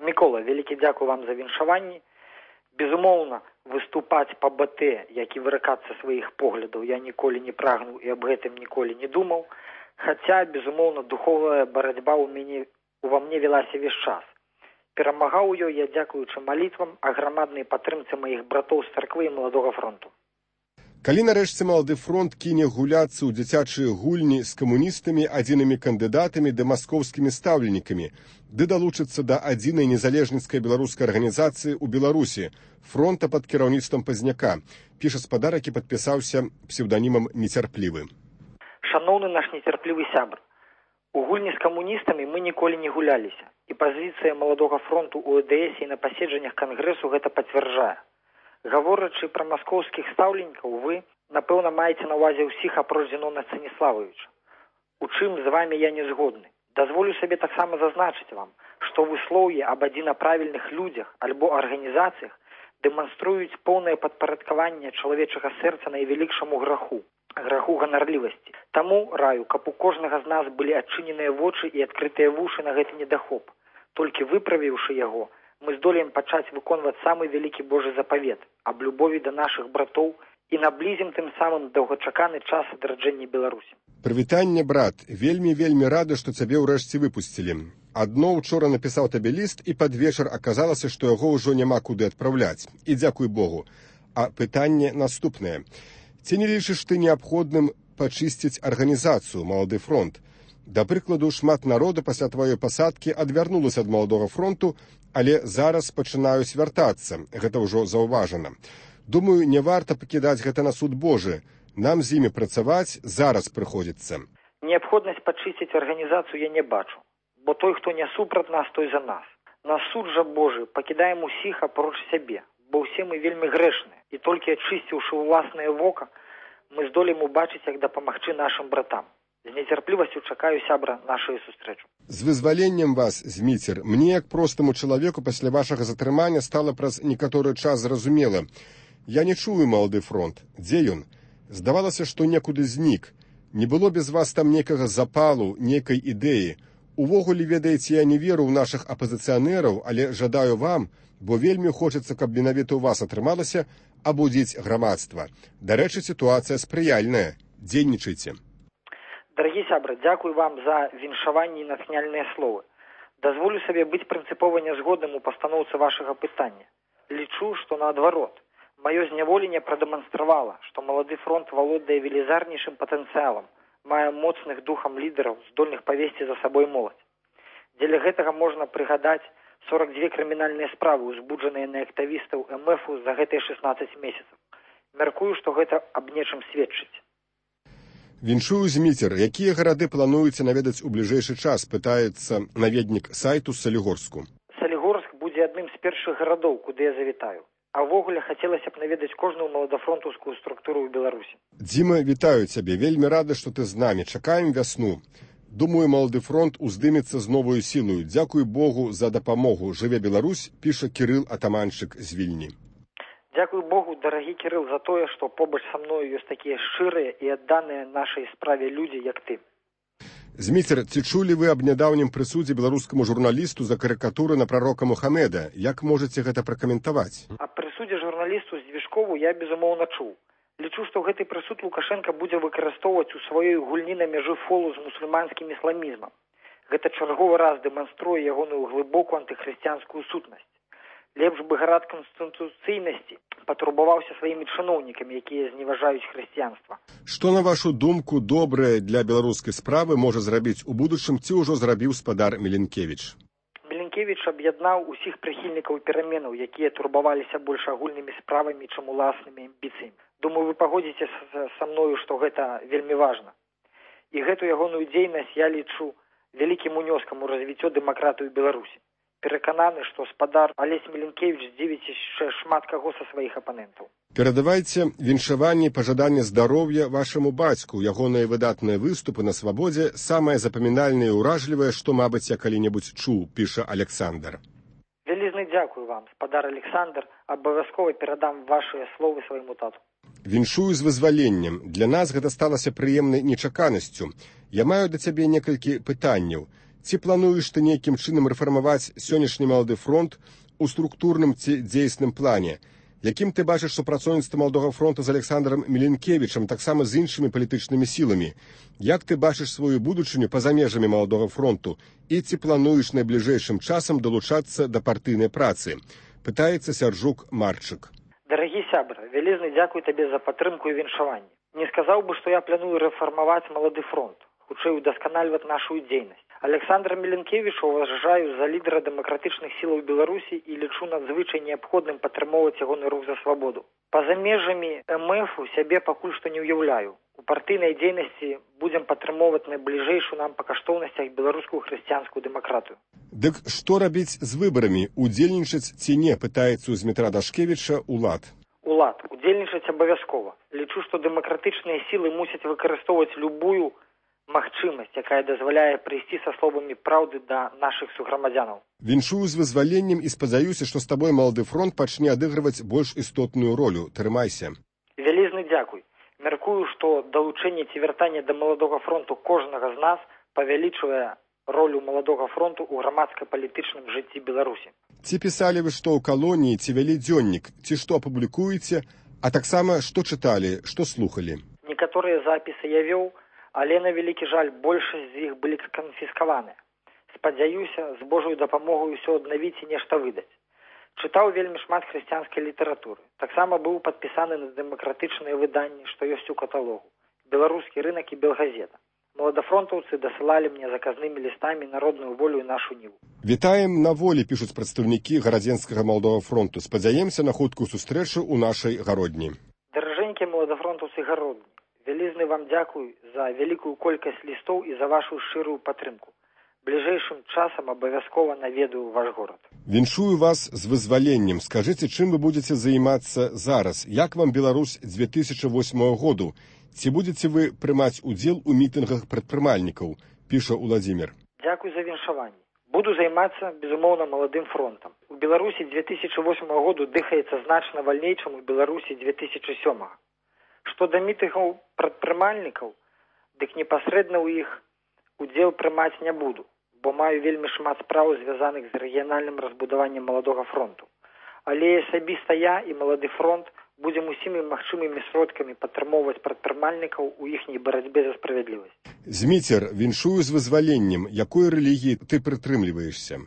Мікола, вялікі дзякуй вам за віншаванні. Безумоўна, выступаць па БТ, як і выракацца сваіх поглядаў, я ніколі не прагнуў і аб гэтым ніколі не думаў, хаця, безумоўна, духовая барацьба ува мне велася весь час. Перамагаў ёй я дзякуючы малітвам, а грамаднай падтрымцы маіх братоў з царквы і Маладога фронту. Калі нарэшце Малады фронт кіне гуляцца ў дзіцячыя гульні з камуністамі, адзінымі кандыдатамі ды маскоўскімі стаўленікамі, ды далучыцца да адзінай незалежніцкай беларускай арганізацыі ў Беларусі, фронта пад кіраўніцтвам Пазняка, піша спадар, які падпісаўся псеўданімам «Нецярплівы». Шаноўны наш нецярплівы сябр, у гульні з камуністамі мы ніколі не гуляліся, і пазіцыя Маладога фронту ў ЭДС і на паседжаннях кангрэсу гэта пацвярджае. Гаворачы пра маскоўскіх стаўленікаў, вы, напэўна, маеце на ўвазе ўсіх апроч Зінона Станіславовича. У чым з вамі я не згодны. Дазволю сабе таксама зазначыць вам, што выслоўі аб адзінаправільных людзях альбо арганізацыях дэманструюць поўнае падпарадкаванне чалавечага сэрца найвялікшаму граху ганарлівасці. Таму раю, каб у кожнага з нас былі адчыненыя вочы і адкрытыя вушы на гэты недахоп. Толькі выправіўшы яго, мы здолеем пачаць выконваць самы вялікі Божы запавет аб любові да нашых братоў і наблізім тым самым доўгачаканы час адраджэння Беларусі. Прывітанне, брат, вельмі рады, што цябе ўрэшце выпусцілі. Адно ўчора напісаў табе ліст, і пад вечар аказалася, што яго ўжо няма куды адпраўляць. І дзякуй Богу. А пытанне наступнае. Ці не лічыш ты неабходным пачысціць арганізацыю «Малады фронт»? Да прыкладу, шмат народу пасля тваёй пасадкі адвярнулася ад Маладога фронту, але зараз пачынаюць вяртацца. Гэта ўжо заўважана. Думаю, не варта пакідаць гэта на суд Божы. Нам з імі працаваць зараз прыходзіцца. Неабходнасць пачысціць арганізацыю я не бачу, бо той, хто не супраць нас, той за нас. На суд жа Божы пакідаем усіх апроч сябе, бо ўсе мы вельмі грэшныя, і толькі ачысціўшы ўласнае вока, мы здолеем убачыць, як дапамагчы нашым братам. З нецярплівасцю чакаю, сябра, нашую сустрэчу. З вызваленнем вас, Зміцер, мне, як простаму чалавеку, пасля вашага затрымання стала праз некаторы час зразумела. Я не чую Малады фронт. Дзе ён? Здавалася, што некуды знік. Не было без вас там нейкага запалу, нейкай ідэі. Увогуле, ведаеце, я не веру ў нашых апазіцыянераў, але жадаю вам, бо вельмі хочацца, каб менавіта ў вас атрымалася абудзіць грамадства. Дарэчы, сітуацыя спрыяльная. Дзейнічайце. Дарагі сябры, дзякуй вам за віншаванні і натхняльныя словы. Дазволю сабе быць прынцыпова нязгодным у пастаноўцы вашага пытання. Лічу, што наадварот, маё зняволенне прадэманстравала, што Малады фронт валодае велізарнейшым патэнцыялам, мае моцных духам лідараў, здольных павесці за сабой моладзь. Дзеля гэтага можна прыгадаць 42 крымінальныя справы, узбуджаныя на актывістаў МФ за гэтыя 16 месяцаў. Мяркую, што гэта аб нечым сведчыць. Віншую, Зміцер, якія гарады плануеце наведаць у бліжэйшы час, пытаецца наведнік сайту Салігорску. Салігорск будзе адным з першых гарадоў, куды я завітаю. А ўвогуле хацелася б наведаць кожную маладафронтаўскую структуру ў Беларусі. Дзіма, вітаю цябе, вельмі рады, што ты з намі. Чакаем вясну. Думаю, Малады фронт уздымецца з новую сілою. Дзякуй Богу за дапамогу. Жыве Беларусь, піша Кірыл Атаманчык з Вільні. Дзякуй Богу, дарагі Кірыл, за тое, што побач са мною ёсць такія шчырыя і адданыя нашай справе людзі, як ты. Зміцер, ці чулі вы аб нядаўнім прысудзе беларускаму журналісту за карыкатуры на прарока Мухамеда? Як можаце гэта пракаментаваць? Аб прысудзе журналісту Здвижкову я, безумоўна, чуў. Лічу, што гэты прысуд Лукашенка будзе выкарыстоўваць у сваёй гульні на мяжы фолу з мусульманскім ісламізмам. Гэта чарговы раз дэманструе ягоную глыбокую антыхрысціянскую сутнасць. Лепш бы гарад канстытуцыйнасці патурбаваўся сваімі чыноўнікамі, якія зневажаюць хрысціянства. Што, на вашу думку, добрае для беларускай справы можа зрабіць у будучым, ці ўжо зрабіў спадар Міленкевіч? Міленкевіч аб'яднаў усіх прыхільнікаў пераменаў, якія турбаваліся больш агульнымі справамі, чым уласнымі амбіцыямі. Думаю, вы пагодзіце са мною, што гэта вельмі важна. І гэту ягоную дзейнасць я лічу вялікім унёскам у развіццё дэмакратыі ў Беларусі. Перакананы, што спадар Алесь Міленкевіч здзівіць яшчэ шмат каго са сваіх апанентаў. Перадавайце віншаванне і пажаданне здароўя вашаму бацьку. Ягоныя выдатныя выступы на свабодзе самае запамінальнае і ўражлівае, што, мабыць, я калі-небудзь чуў, піша Александр. Вялізны дзякую вам, спадар Александр, абавязкова перадам вашыя словы свайму тату. Віншую з вызваленнем. Для нас гэта сталася прыемнай нечаканасцю. Я маю да цябе некалькі пытанняў. Ці плануеш ты нейкім чынам рэфармаваць сённяшні малады фронт у структурным ці дзейсным плане? Якім ты бачыш супрацоўніцтва маладога фронта з Александром Міленкевічам, таксама з іншымі палітычнымі сіламі? Як ты бачыш сваю будучыню па-за межамі маладога фронту? І ці плануеш найбліжэйшым часам далучацца да партыйнай працы? Пытаецца Сяржук Марчык. Дарагі сябра, вялізны дзякуй табе за падтрымку і віншаванне. Не сказаў бы, што я планую рэфармаваць малады фронт, хутчэй удасканальваць нашу дзейнасць. Александра Міленкевіча уважаю за лідара дэмакратычных сілаў Беларусі і лічу надзвычай неабходным падтрымоўваць ягоны рух за свабоду. Па-за межамі МФ-у сябе пакуль што не ўяўляю. У партыйнай дзейнасці будзем падтрымоўваць найбліжэйшую нам па каштоўнасцях беларускую хрысціянскую дэмакратыю. Дык што рабіць з выбарамі? Удзельнічаць ці не, пытаецца з Дмітра Дашкевіча улад. Улад. Удзельнічаць абавязкова. Лічу, што дэмакратычныя сілы мусяць выкарыстоўваць любую магчымасць, якая дазваляе прыйсці са словамі праўды да нашых суграмадзянаў. Віншую з вызваленнем і спадзяюся, што з табой малады фронт пачне адыгрываць больш істотную ролю. Трымайся. Вялізны дзякуй. Мяркую, што далучэнне ці вяртанне да маладога фронту кожнага з нас павялічвае ролю маладога фронту ў грамадска-палітычным жыцці Беларусі. Ці пісалі вы што ў калоніі, ці вялі дзённік, ці што апублікуеце, а таксама што чыталі, што слухалі? Некаторыя запісы я вёў, але, на вялікі жаль, большасць з іх былі канфіскаваныя. Спадзяюся, з Божою дапамогай усё аднавіць і нешта выдаць. Чытаў вельмі шмат хрысціянскай літаратуры. Таксама быў падпісаны на дэмакратычныя выданні, што ёсць у каталогу. Беларускі рынак і Белгазета. Маладафронтаўцы дасылалі мне заказнымі лістамі народную волю і нашу ніву. Вітаем на волі, пішуць прадстаўнікі гарадзенскага маладога фронту. Спадзяемся на хуткую сустрэчу ў нашай гародні. Даражэнькія маладафронтаўцы гародні, вялізны вам дзякуй за вялікую колькасць лістоў і за вашу шчырую падтрымку. Бліжэйшым часам абавязкова наведаю ваш горад. Віншую вас з вызваленнем. Скажыце, чым вы будзеце займацца зараз? Як вам Беларусь 2008 году? Ці будзеце вы прымаць удзел у мітынгах прадпрымальнікаў? Піша Уладзімір. Дзякуй за віншаванне. Буду займацца, безумоўна, маладым фронтам. У Беларусі 2008 году дыхаецца значна вальней, чым у Беларусі 2007. Што да мітынгаў прадпрымальнікаў, дык непасрэдна ў іх удзел прымаць не буду, бо маю вельмі шмат спраў, звязаных з рэгіянальным разбудаваннем маладога фронту. Але асабіста я і малады фронт будзем усімі магчымымі сродкамі падтрымоўваць прадпрымальнікаў у іхняй барацьбе за справядлівасць. Зміцер, віншую з вызваленнем. Якой рэлігіі ты прытрымліваешся?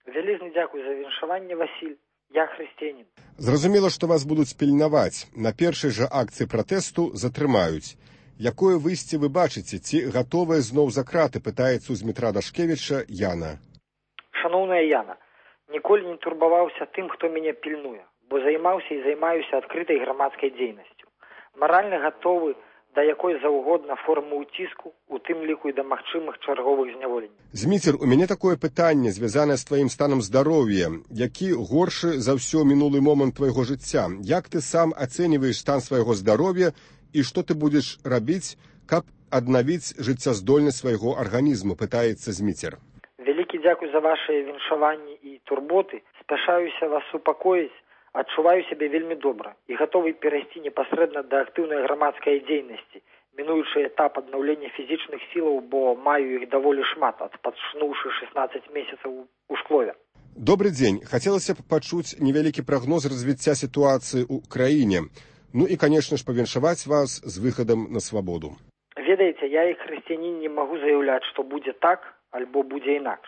Вялізны дзякуй за віншаванне, Васіль. Я хрысціянін. Зразумела, што вас будуць пільнаваць. На першай жа акцыі пратэсту затрымаюць. Якое выйсце вы бачыце? Ці гатовая зноў за краты, пытаецца з Дмітра Дашкевіча Яна. Шаноўная Яна, ніколі не турбаваўся тым, хто мяне пільнуе, бо займаўся і займаюся адкрытай грамадскай дзейнасцю. Маральна гатовы да якой заўгодна формы ўціску, у тым ліку і да магчымых чарговых зняволенняў. Зміцер, у мяне такое пытанне, звязанае з тваім станам здароўя. Які горшы за ўсё мінулы момант твайго жыцця? Як ты сам ацэньваеш стан свайго здароўя і што ты будзеш рабіць, каб аднавіць жыццяздольнасць свайго арганізму, пытаецца Зміцер. Вялікі дзякуй за вашыя віншаванні і турботы. Спяшаюся вас супакоіць, адчуваю сябе вельмі добра і гатовы перайсці непасрэдна да актыўнай грамадскай дзейнасці, мінуючы этап аднаўлення фізічных сілаў, бо маю іх даволі шмат, адпачнуўшы 16 месяцаў у шклове. Добры дзень. Хацелася б пачуць невялікі прагноз развіцця сітуацыі ў краіне. Ну і, конечно ж, павіншаваць вас з выхадам на свабоду. Ведаеце, я як хрысціянін не магу заяўляць, што будзе так, альбо будзе інакш.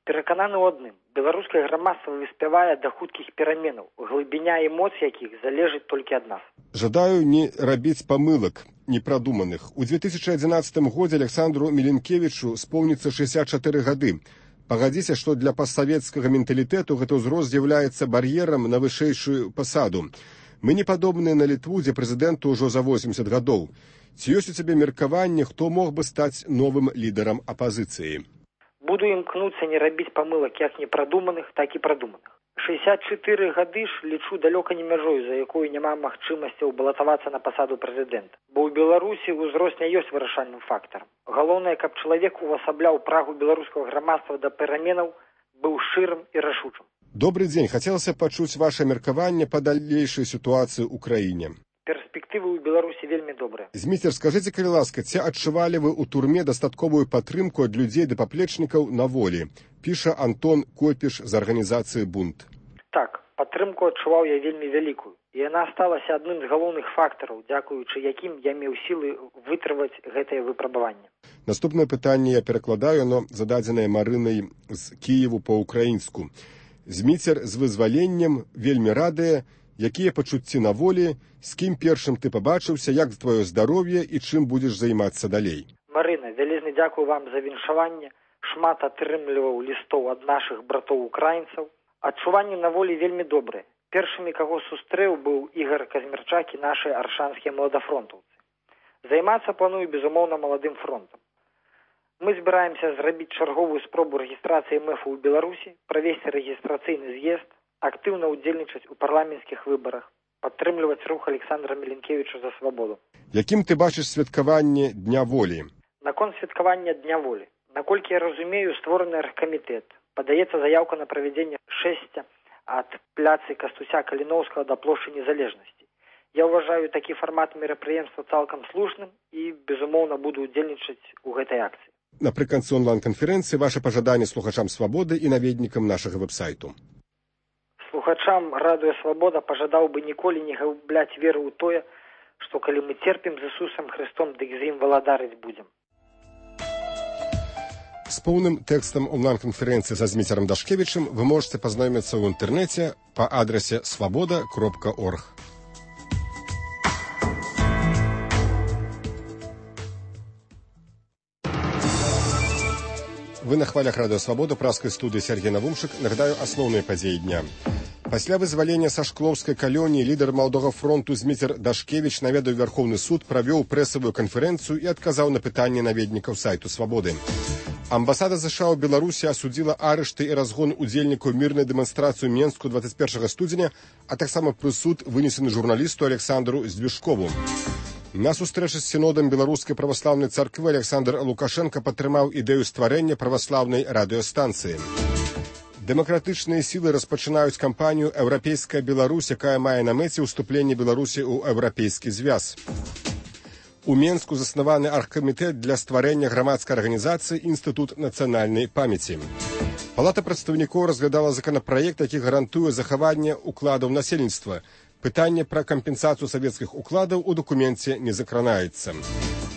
Перакананы ў адным. Беларускае грамадства выспявае да хуткіх пераменаў, глыбіня эмоцый якіх залежыць толькі ад нас. Жадаю не рабіць памылак непрадуманых. У 2011 годзе Александру Міленкевічу споўніцца 64 гады. Пагадзіся, што для пастсавецкага менталітэту гэты ўзрост з'яўляецца бар'ерам на вышэйшую пасаду. Мы не падобныя на Літву, дзе прэзідэнту ўжо за 80 гадоў. Ці ёсць у цябе меркаванне, хто мог бы стаць новым лідарам апазіцыі? Буду імкнуцца не рабіць памылак як непрадуманых, так і прадуманых. 64 гады ж лічу далёка не мяжою, за якую няма магчымасцяў балатавацца на пасаду прэзідэнта. Бо ў Беларусі ўзрост не ёсць вырашальным фактарам. Галоўнае, каб чалавек увасабляў прагу беларускага грамадства да пераменаў, быў шчырым і рашучым. Добрый дзень, хацелася пачуць ваше меркаванне па далейшай сітуацыі ў краіне. Перспектывы ў Беларусі вельмі добрыя. Зміцер, скажыце, калі ласка, ці адчувалі вы ў турме дастатковую падтрымку ад людзей ды паплечнікаў на волі? Піша Антон Копіш з арганізацыі «Бунт». Так, падтрымку адчуваў я вельмі вялікую. І яна сталася адным з галоўных фактараў, дзякуючы якім я меў сілы вытрываць гэтае выпрабаванне. Наступнае пытанне я перакладаю, но зададзенае Марынай з Кіеву па-украінску. Зміцер, з вызваленнем вельмі радыя, якія пачуцці на волі, з кім першым ты пабачыўся, як твоё здароўе і чым будзеш займацца далей? Марына, вялізны дзякую вам за віншаванне. Шмат атрымліваў лістоў ад нашых братоў-украінцаў. Адчуванне на волі вельмі добрае. Першымі, каго сустрэў, быў Ігор Казмірчак і нашы аршанскія маладафронтаўцы. Займацца планую, безумоўна, маладым фронтам. Мы збіраемся зрабіць чарговую спробу рэгістрацыі МЭФу ў Беларусі, правесці рэгістрацыйны з'езд, актыўна ўдзельнічаць у парламенцкіх выбарах, падтрымліваць рух Александра Міленкевіча за свабоду. Якім ты бачыш святкаванне Дня волі? Наконт святкавання Дня волі. Наколькі я разумею, створаны аргкамітэт. Падаецца заяўка на правядзенне шэсця ад пляцы Кастуся Каліноўскага да плошчы Незалежнасці. Я ўважаю такі фармат мерапрыемства цалкам слушным і, безумоўна, буду ўдзельнічаць у гэтай акцыі. Напрыканцы онлайн-канферэнцыі ваша пажаданне слухачам «Свабоды» і наведнікам нашага вэб-сайту. Слухачам радыё «Свабода» пажадаў бы ніколі не губляць веру ў тое, што калі мы церпім з Ісусам Христом, дык з ім валадарыць будзем. З поўным тэкстам онлайн-канферэнцыі са Зміцерам Дашкевічым вы можете пазнаёміцца ў інтэрнэце па адрасе svoboda.org. Вы на хвалях радыё «Свабода», праскай студыі Сергей Навумшык. Нагадаю асноўныя падзеі дня. Пасля вызвалення са шклоўскай калоніі лідар маладога фронту Зміцер Дашкевіч наведаў Верховны суд, правёў прэсавую канферэнцыю і адказаў на пытанні наведнікаў сайту «Свабоды». Амбасада США ў Беларусі асудзіла арышты і разгон удзельнікаў мірнай дэманстрацыі ў Менску 21 студзеня, а таксама прысуд вынесены журналісту Александру Здвижкову. На сустрэчы з сінодам беларускай праваслаўнай царквы Александр Лукашенко падтрымаў ідэю стварэння праваслаўнай радыёстанцыі. Дэмакратычныя сілы распачынаюць кампанію «Еўрапейская Беларусь», якая мае на мэце ўступленне Беларусі ў еўрапейскі звяз. У Менску заснаваны аргкамітэт для стварэння грамадскай арганізацыі «Інстытут нацыянальнай памяці». Палата прадстаўнікоў разглядала законапраект, які гарантуе захаванне укладаў насельніцтва. Пытанне пра кампенсацыю савецкіх укладаў у дакуменце не закранаецца.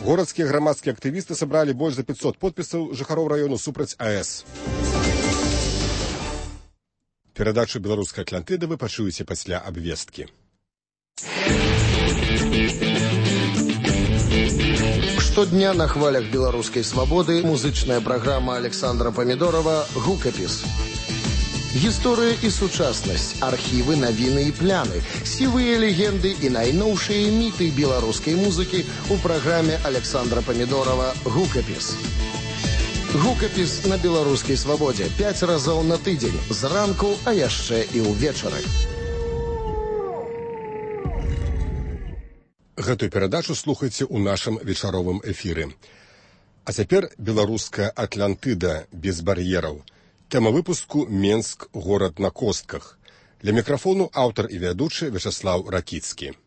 Горадскія грамадскія актывісты сабралі больш за 500 подпісаў жыхароў раёну супраць АЭС. Перадачу «Беларускай Атлантыды» вы пачуеце пасля абвесткі. Штодня на хвалях беларускай свабоды музычная праграма Александра Памідорова «Гукапіс». Гісторыя і сучаснасць, архівы, навіны і пляны, сівыя легенды і найноўшыя міты беларускай музыкі ў праграме Александра Памідорова «Гукапіс». Гукапіс на беларускай свабодзе 5 разоў на тыдзень, зранку, а яшчэ і ўвечары. Гэтую перадачу слухайце ў нашым вечаровым эфіры. А цяпер беларуская Атлантыда без бар'ераў. Тэма выпуску «Менск. Горад на костках». Для мікрафону аўтар і вядучы Вячаслаў Ракіцкі.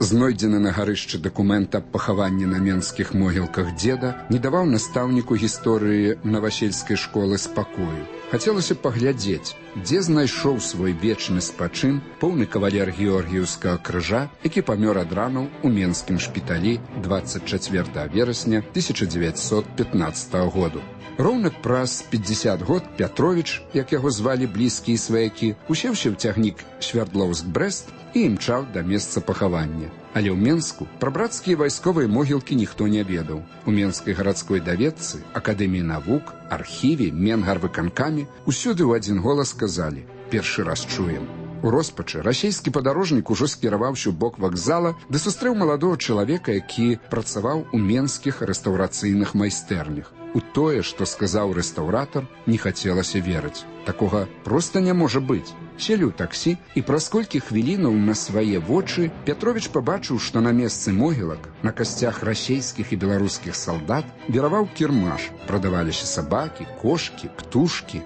Знойдзены на гарышчы дакумент аб пахаванні на менскіх могілках дзеда не даваў настаўніку гісторыі навасельскай школы спакою. Хацелася паглядзець, дзе знайшоў свой вечны спачын поўны кавалер Георгіевскага крыжа, які памёр ад ранаў у менскім шпіталі 24 верасня 1915 году. Роўна праз 50 год Пятровіч, як яго звалі блізкія сваякі, усеўся ў цягнік Свярдлоўск-Брэст і імчаў да месца пахавання. Але ў Менску пра брацкія вайсковыя могілкі ніхто не ведаў. У Менскай гарадской даведцы, Акадэміі навук, архіве, Менгарвыканкамі усюды ў адзін голас сказалі: першы раз чуем. У роспачы расійскі падарожнік ужо скіраваўся ў бок вакзала, ды сустрэў маладого чалавека, які працаваў у менскіх рэстаўрацыйных майстэрнях. У тое, што сказаў рэстаўратар, не хацелася верыць. Такога проста не можа быць. Селі ў таксі, і праз колькі хвілінаў на свае вочы Пятровіч пабачыў, што на месцы могілак, на касцях расійскіх і беларускіх салдат віраваў кірмаш. Прадаваліся сабакі, кошкі, птушкі.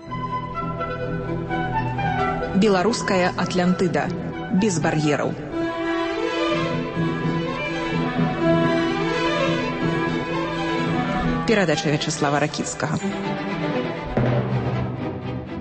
Беларуская Атлантыда. Без бар'ераў. Перадача Вячаслава Ракіцкага.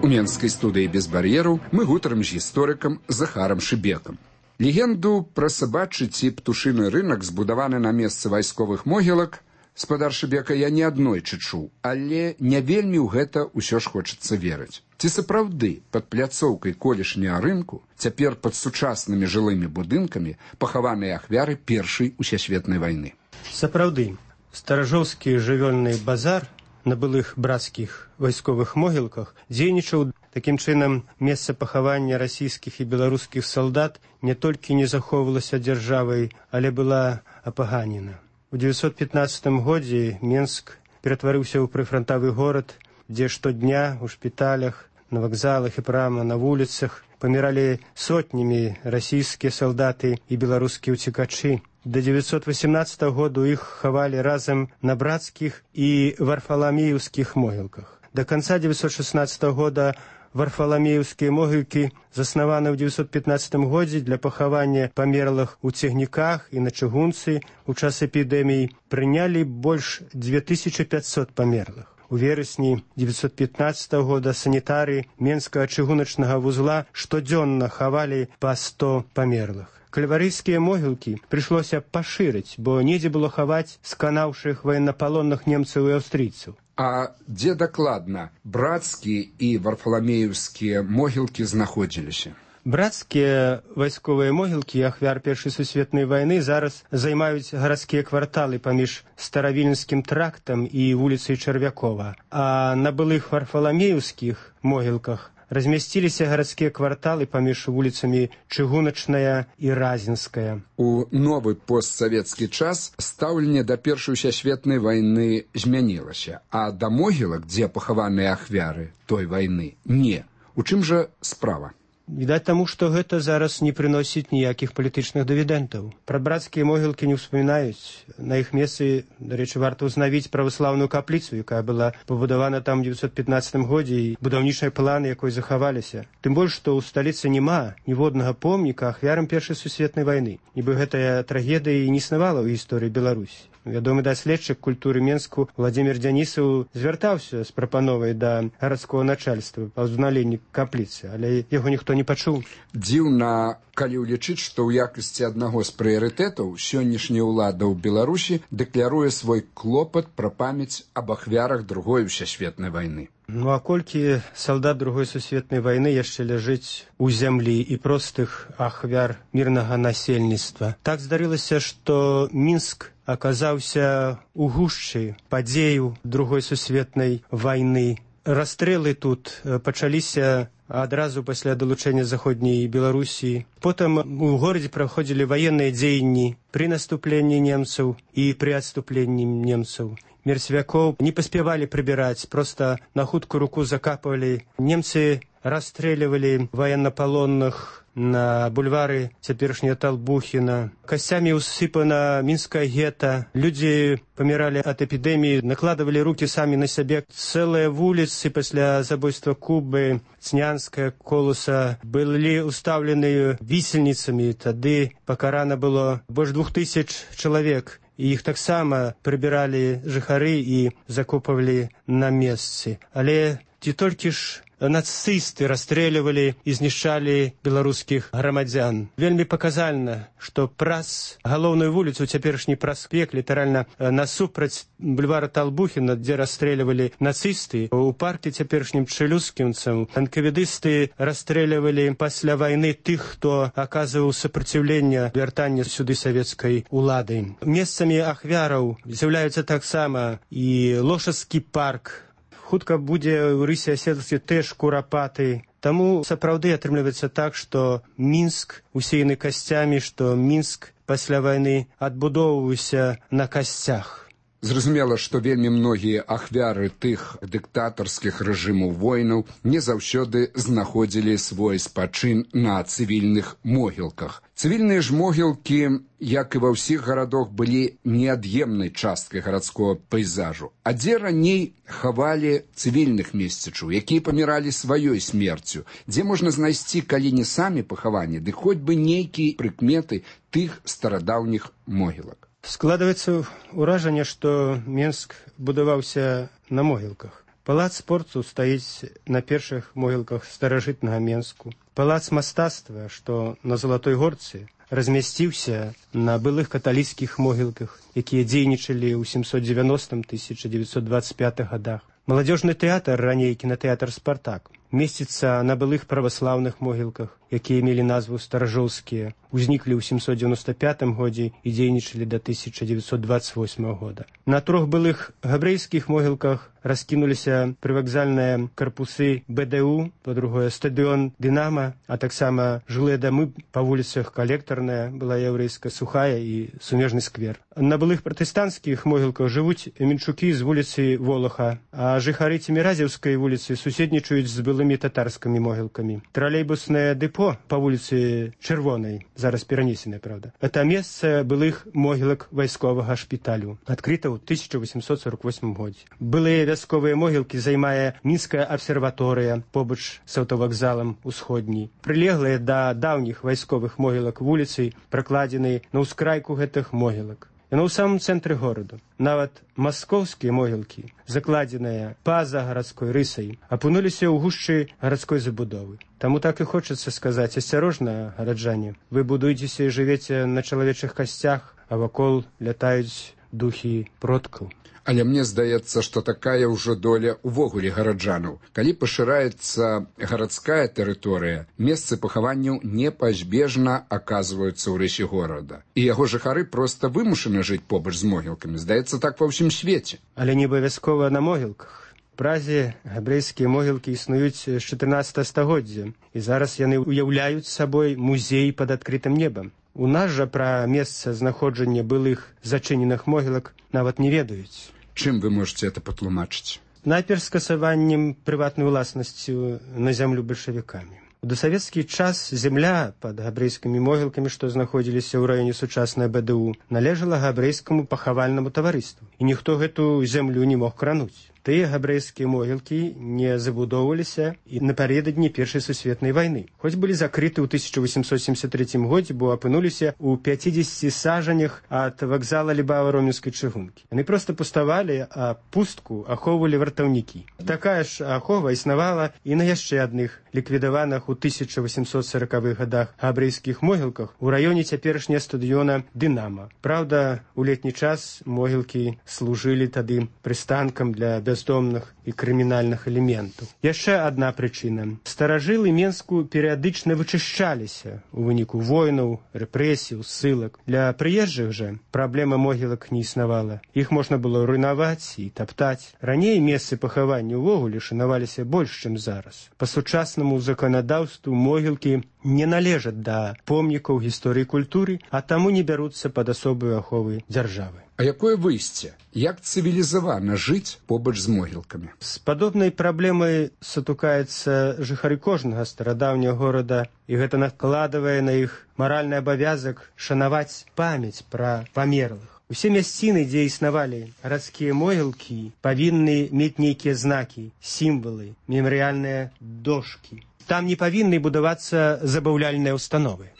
У менскай студыі «Без бар'ераў» мы гутарым з гісторыкам Захарам Шыбекам. Легенду пра сабачы ці птушыны рынак, збудаваны на месцы вайсковых могілак, спадар Шыбека, я не аднойчы чуў, але не вельмі ў гэта ўсё ж хочацца верыць. Ці сапраўды пад пляцоўкай колішняга рынку, цяпер пад сучаснымі жылымі будынкамі, пахаваныя ахвяры Першай усесветнай вайны? Сапраўды, старажоўскі жывёльны базар на былых брацкіх вайсковых могілках дзейнічаў. Такім чынам, месца пахавання расійскіх і беларускіх салдат не толькі не захоўвалася дзяржавай, але была апаганена. У 915 годзе Менск ператварыўся ў прыфрантавы горад, дзе штодня ў шпіталях, на вакзалах і прама на вуліцах паміралі сотнямі расійскія салдаты і беларускія ўцекачы. До 918 году іх хавалі разам на брацкіх і варфаламеўскіх могілках. До конца 916 года варфаламеўскія могілкі заснаваны ў 915 годзе для пахавання памерлых у цягніках і на чыгунцы ў час эпідэмій прынялі больш 2500 памерлых. У верасні 915 года санітары Менскага чыгуначнага вузла штодзённа хавалі па 100 памерлых. Кальварыйскія могілкі прыйшлося пашырыць, бо недзе было хаваць сканаўшых ваеннапалонных немцаў і аўстрыйцаў. А дзе дакладна брацкія і варфаламеўскія могілкі знаходзіліся? Брацкія вайсковыя могілкі ахвяр Першай сусветнай вайны зараз займаюць гарадскія кварталы паміж Старавільнскім трактам і вуліцай Чарвякова. А на былых варфаламеўскіх могілках размясціліся гарадскія кварталы паміж вуліцамі Чыгуначная і Разінская. У новы постсавецкі час стаўленне да Першай усесветнай вайны змянілася, а да могілак, дзе пахаваныя ахвяры той вайны, не. У чым жа справа? Відаць таму, што гэта зараз не прыносіць ніякіх палітычных дывідэнтаў. Пра брацкія могілкі не ўспамінаюць. На іх месцы, дарэчы, варта ўзнавіць праваслаўную капліцу, якая была пабудавана там у 915 годзе, і будаўнічыя планы якой захаваліся. Тым больш, што ў сталіцы няма ніводнага помніка ахвярам Першай сусветнай вайны. Нібы гэтая трагедыя і не існавала ў гісторыі Беларусі. Вядомы даследчык культуры Менску Владзімір Дзянісаў звяртаўся з прапановай да гарадскога начальства па ўзналенні капліцы, але яго ніхто не пачуў. Дзіўна, калі ўлічыць, што ў якасці аднаго з прыярытэтаў сённяшняя ўлада ў Беларусі дэкляруе свой клопат пра памяць аб ахвярах Другой усесветнай вайны. Ну а колькі салдат Другой сусветнай вайны яшчэ ляжыць у зямлі і простых ахвяр мірнага насельніцтва. Так здарылася, што Мінск аказаўся у гушчы падзеяў Другой сусветнай вайны. Расстрэлы тут пачаліся адразу пасля далучэння заходняй Беларусі. Потым у горадзе праходзілі ваенныя дзеянні пры наступленні немцаў і пры адступленні немцаў. Мерцвякоў не паспявалі прыбіраць, проста на хуткую руку закапывалі. Немцы расстрэльвалі ваеннапалонных на бульвары цяперашняга Талбухіна. Касцямі ўсыпана мінскае гета. Людзі паміралі ад эпідэміі, накладывалі рукі самі на сябе. Цэлыя вуліцы пасля забойства Кубы, Цнянская, Колуса былі ўстаўлены вісельніцамі. Тады пакарана было больш 2000 чалавек. І іх таксама прыбіралі жыхары і закопвалі на месцы. Але ці толькі ж нацысты расстрэльвалі і знішчалі беларускіх грамадзян. Вельмі паказальна, што праз галоўную вуліцу, цяперашні праспект, літаральна насупраць бульвара Талбухіна, дзе расстрэльвалі нацысты, у парке цяперашнім чэлюскінцам анкавідысты расстрэльвалі пасля вайны тых, хто аказваў супраціўленне вяртання сюды савецкай улады. Месцамі ахвяраў з'яўляюцца таксама і Лошадскі парк. Хутка будзе ў рысе аседласці тэж курапаты. Таму сапраўды атрымліваецца так, што Мінск усеяны касцямі, што Мінск пасля вайны адбудоўваўся на касцях. Зразумела, што вельмі многія ахвяры тых дыктатарскіх рэжымаў войнаў не заўсёды знаходзілі свой спачын на цывільных могілках. Цывільныя ж могілкі, як і ва ўсіх гарадах, былі неад'емнай часткай гарадскога пейзажу. А дзе раней хавалі цывільных месцічаў, якія паміралі сваёй смерцю, дзе можна знайсці, калі не самі пахаванні, ды хоць бы нейкія прыкметы тых старадаўніх могілак. Складваецца ўражанне, што Мінск будаваўся на могілках. Палац спорту стаіць на першых могілках старажытнага Мінску. Палац мастацтва, што на Залатой горцы, размясціўся на былых каталіцкіх могілках, якія дзейнічалі ў 790-1925 годах. Маладзёжны тэатр, раней кінатэатр «Спартак», месціцца на былых праваслаўных могілках, якія мелі назву старажоўскія, узніклі ў 795 годзе і дзейнічалі да 1928 года. На 3 былых габрэйскіх могілках раскінуліся прывакзальныя карпусы БДУ, па-другое стадыён «Дынама», а таксама жылыя дамы па вуліцах Калектарная, была яўрэйская, Сухая і Сумежны сквер. На былых пратэстанцкіх могілках жывуць мінчукі з вуліцы Волаха, а жыхары Цеміразеўскай вуліцы суседнічаюць з былымі татарскімі могілкамі. Тралейбуснае дэпо па вуліцы Чырвонай, зараз перанесенае, правда, это месца былых могілак вайсковага шпіталю, адкрыта ў 1848 годзе. Былыя вясковыя могілкі займае Мінская абсерваторыя побач з аўтавакзалам усходняй. Прылеглыя да даўніх вайсковых могілак вуліцы пракладзены на ўскрайку гэтых могілак. Яно ў самым цэнтры гораду. Нават маскоўскія могілкі, закладзеныя па-за гарадской рысай, апынуліся ў гушчы гарадской забудовы. Таму так і хочацца сказаць: асцярожна, гараджане, вы будуецеся і жывеце на чалавечых касцях, а вакол лятаюць духі продкаў. Але мне здаецца, што такая ўжо доля ўвогуле гараджанаў. Калі пашыраецца гарадская тэрыторыя, месцы пахаванняў непазбежна аказваюцца ў рысе горада. І яго жыхары проста вымушаны жыць побач з могілкамі. Здаецца, так ва ўсім свеце. Але не абавязкова на могілках. Празе габрэйскія могілкі існуюць з 14 стагоддзя, і зараз яны ўяўляюць сабой музей пад адкрытым небам. У нас жа пра месца знаходжання былых зачыненых могілак нават не ведаюць. Чым вы можете это патлумачыць? Найперш скасаваннем прыватнай уласнасцю на зямлю бальшавікамі. У дасавецкі час земля пад габрэйскімі могілкамі, што знаходзіліся ў раёне сучаснай БДУ, належала габрэйскаму пахавальнаму таварыству, і ніхто гэту зямлю не мог крануць. Тыя габрэйскія могілкі не забудоўваліся і напярэдадні Першай сусветнай вайны. Хоць былі закрыты ў 1873 годзе, бо апынуліся ў 50 сажанях ад вакзала Лібава-Ромінскай чыгункі. Яны проста пуставалі, а пустку ахоўвалі вартаўнікі. Такая ж ахова існавала і на яшчэ адных ліквідаваных у 1840-х годах габрэйскіх могілках у раёне цяперашняга стадыёна «Дынама». Праўда, у летні час могілкі служылі тады прыстанкам для бяздомных і крымінальных элементаў. Яшчэ адна прычына. Старажылы Менску перыядычна вычышчаліся ў выніку войнаў, рэпрэсій, ссылак. Для прыезджых жа праблема могілак не існавала. Іх можна было руйнаваць і таптаць. Раней месцы пахавання ўвогуле шанаваліся больш, чым зараз. Па сучаснаму заканадаўству могілкі не належаць да помнікаў гісторыі культуры, а таму не бяруцца пад асобую аховы дзяржавы. А якое выйсце? Як цывілізавана жыць побач з могілкамі? З падобнай праблемай сутыкаецца жыхары кожнага старадаўняга горада, і гэта накладвае на іх маральны абавязак шанаваць памяць пра памерлых. Усе мясціны, дзе існавалі гарадскія могілкі, павінны мець нейкія знакі, сімвалы, мемарыяльныя дошкі. Там не павінны будавацца забаўляльныя ўстановы.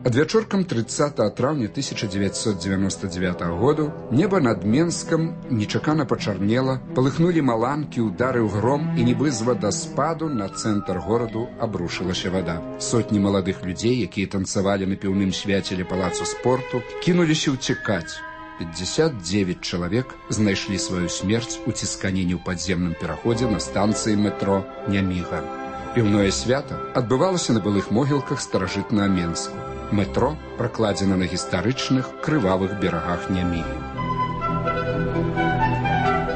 Адвячоркам 30 траўня 1999 году неба над Менскам нечакана пачарнела, палыхнулі маланкі, ударыў гром, і нібы з вадаспаду на цэнтр гораду абрушылася вада. Сотні маладых людзей, якія танцавалі на піўным свяце ля палацу спорту, кінуліся ўцякаць. 59 чалавек знайшлі сваю смерць у цісканені ў падземным пераходзе на станцыі метро Няміга. Піўное свята адбывалася на былых могілках старажытнага Менску. Метро пракладзена на гістарычных крывавых берагах Нямігі.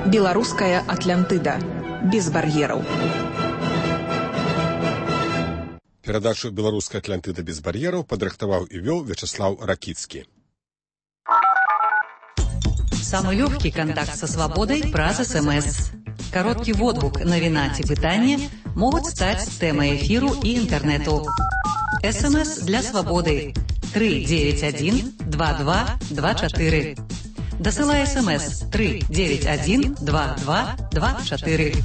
Беларуская Атлантыда. Без бар'ераў. Перадачу «Беларуская Атлантыда без бар'ераў» падрыхтаваў і вёў Вячаслаў Ракіцкі. Самый легкий контакт со свободой праз СМС. Короткий водгук, навіна ці пытанне могуць стаць тэмай эфіру і інтэрнэту. СМС для свободы 391 2224. Дасылай СМС 391 2224.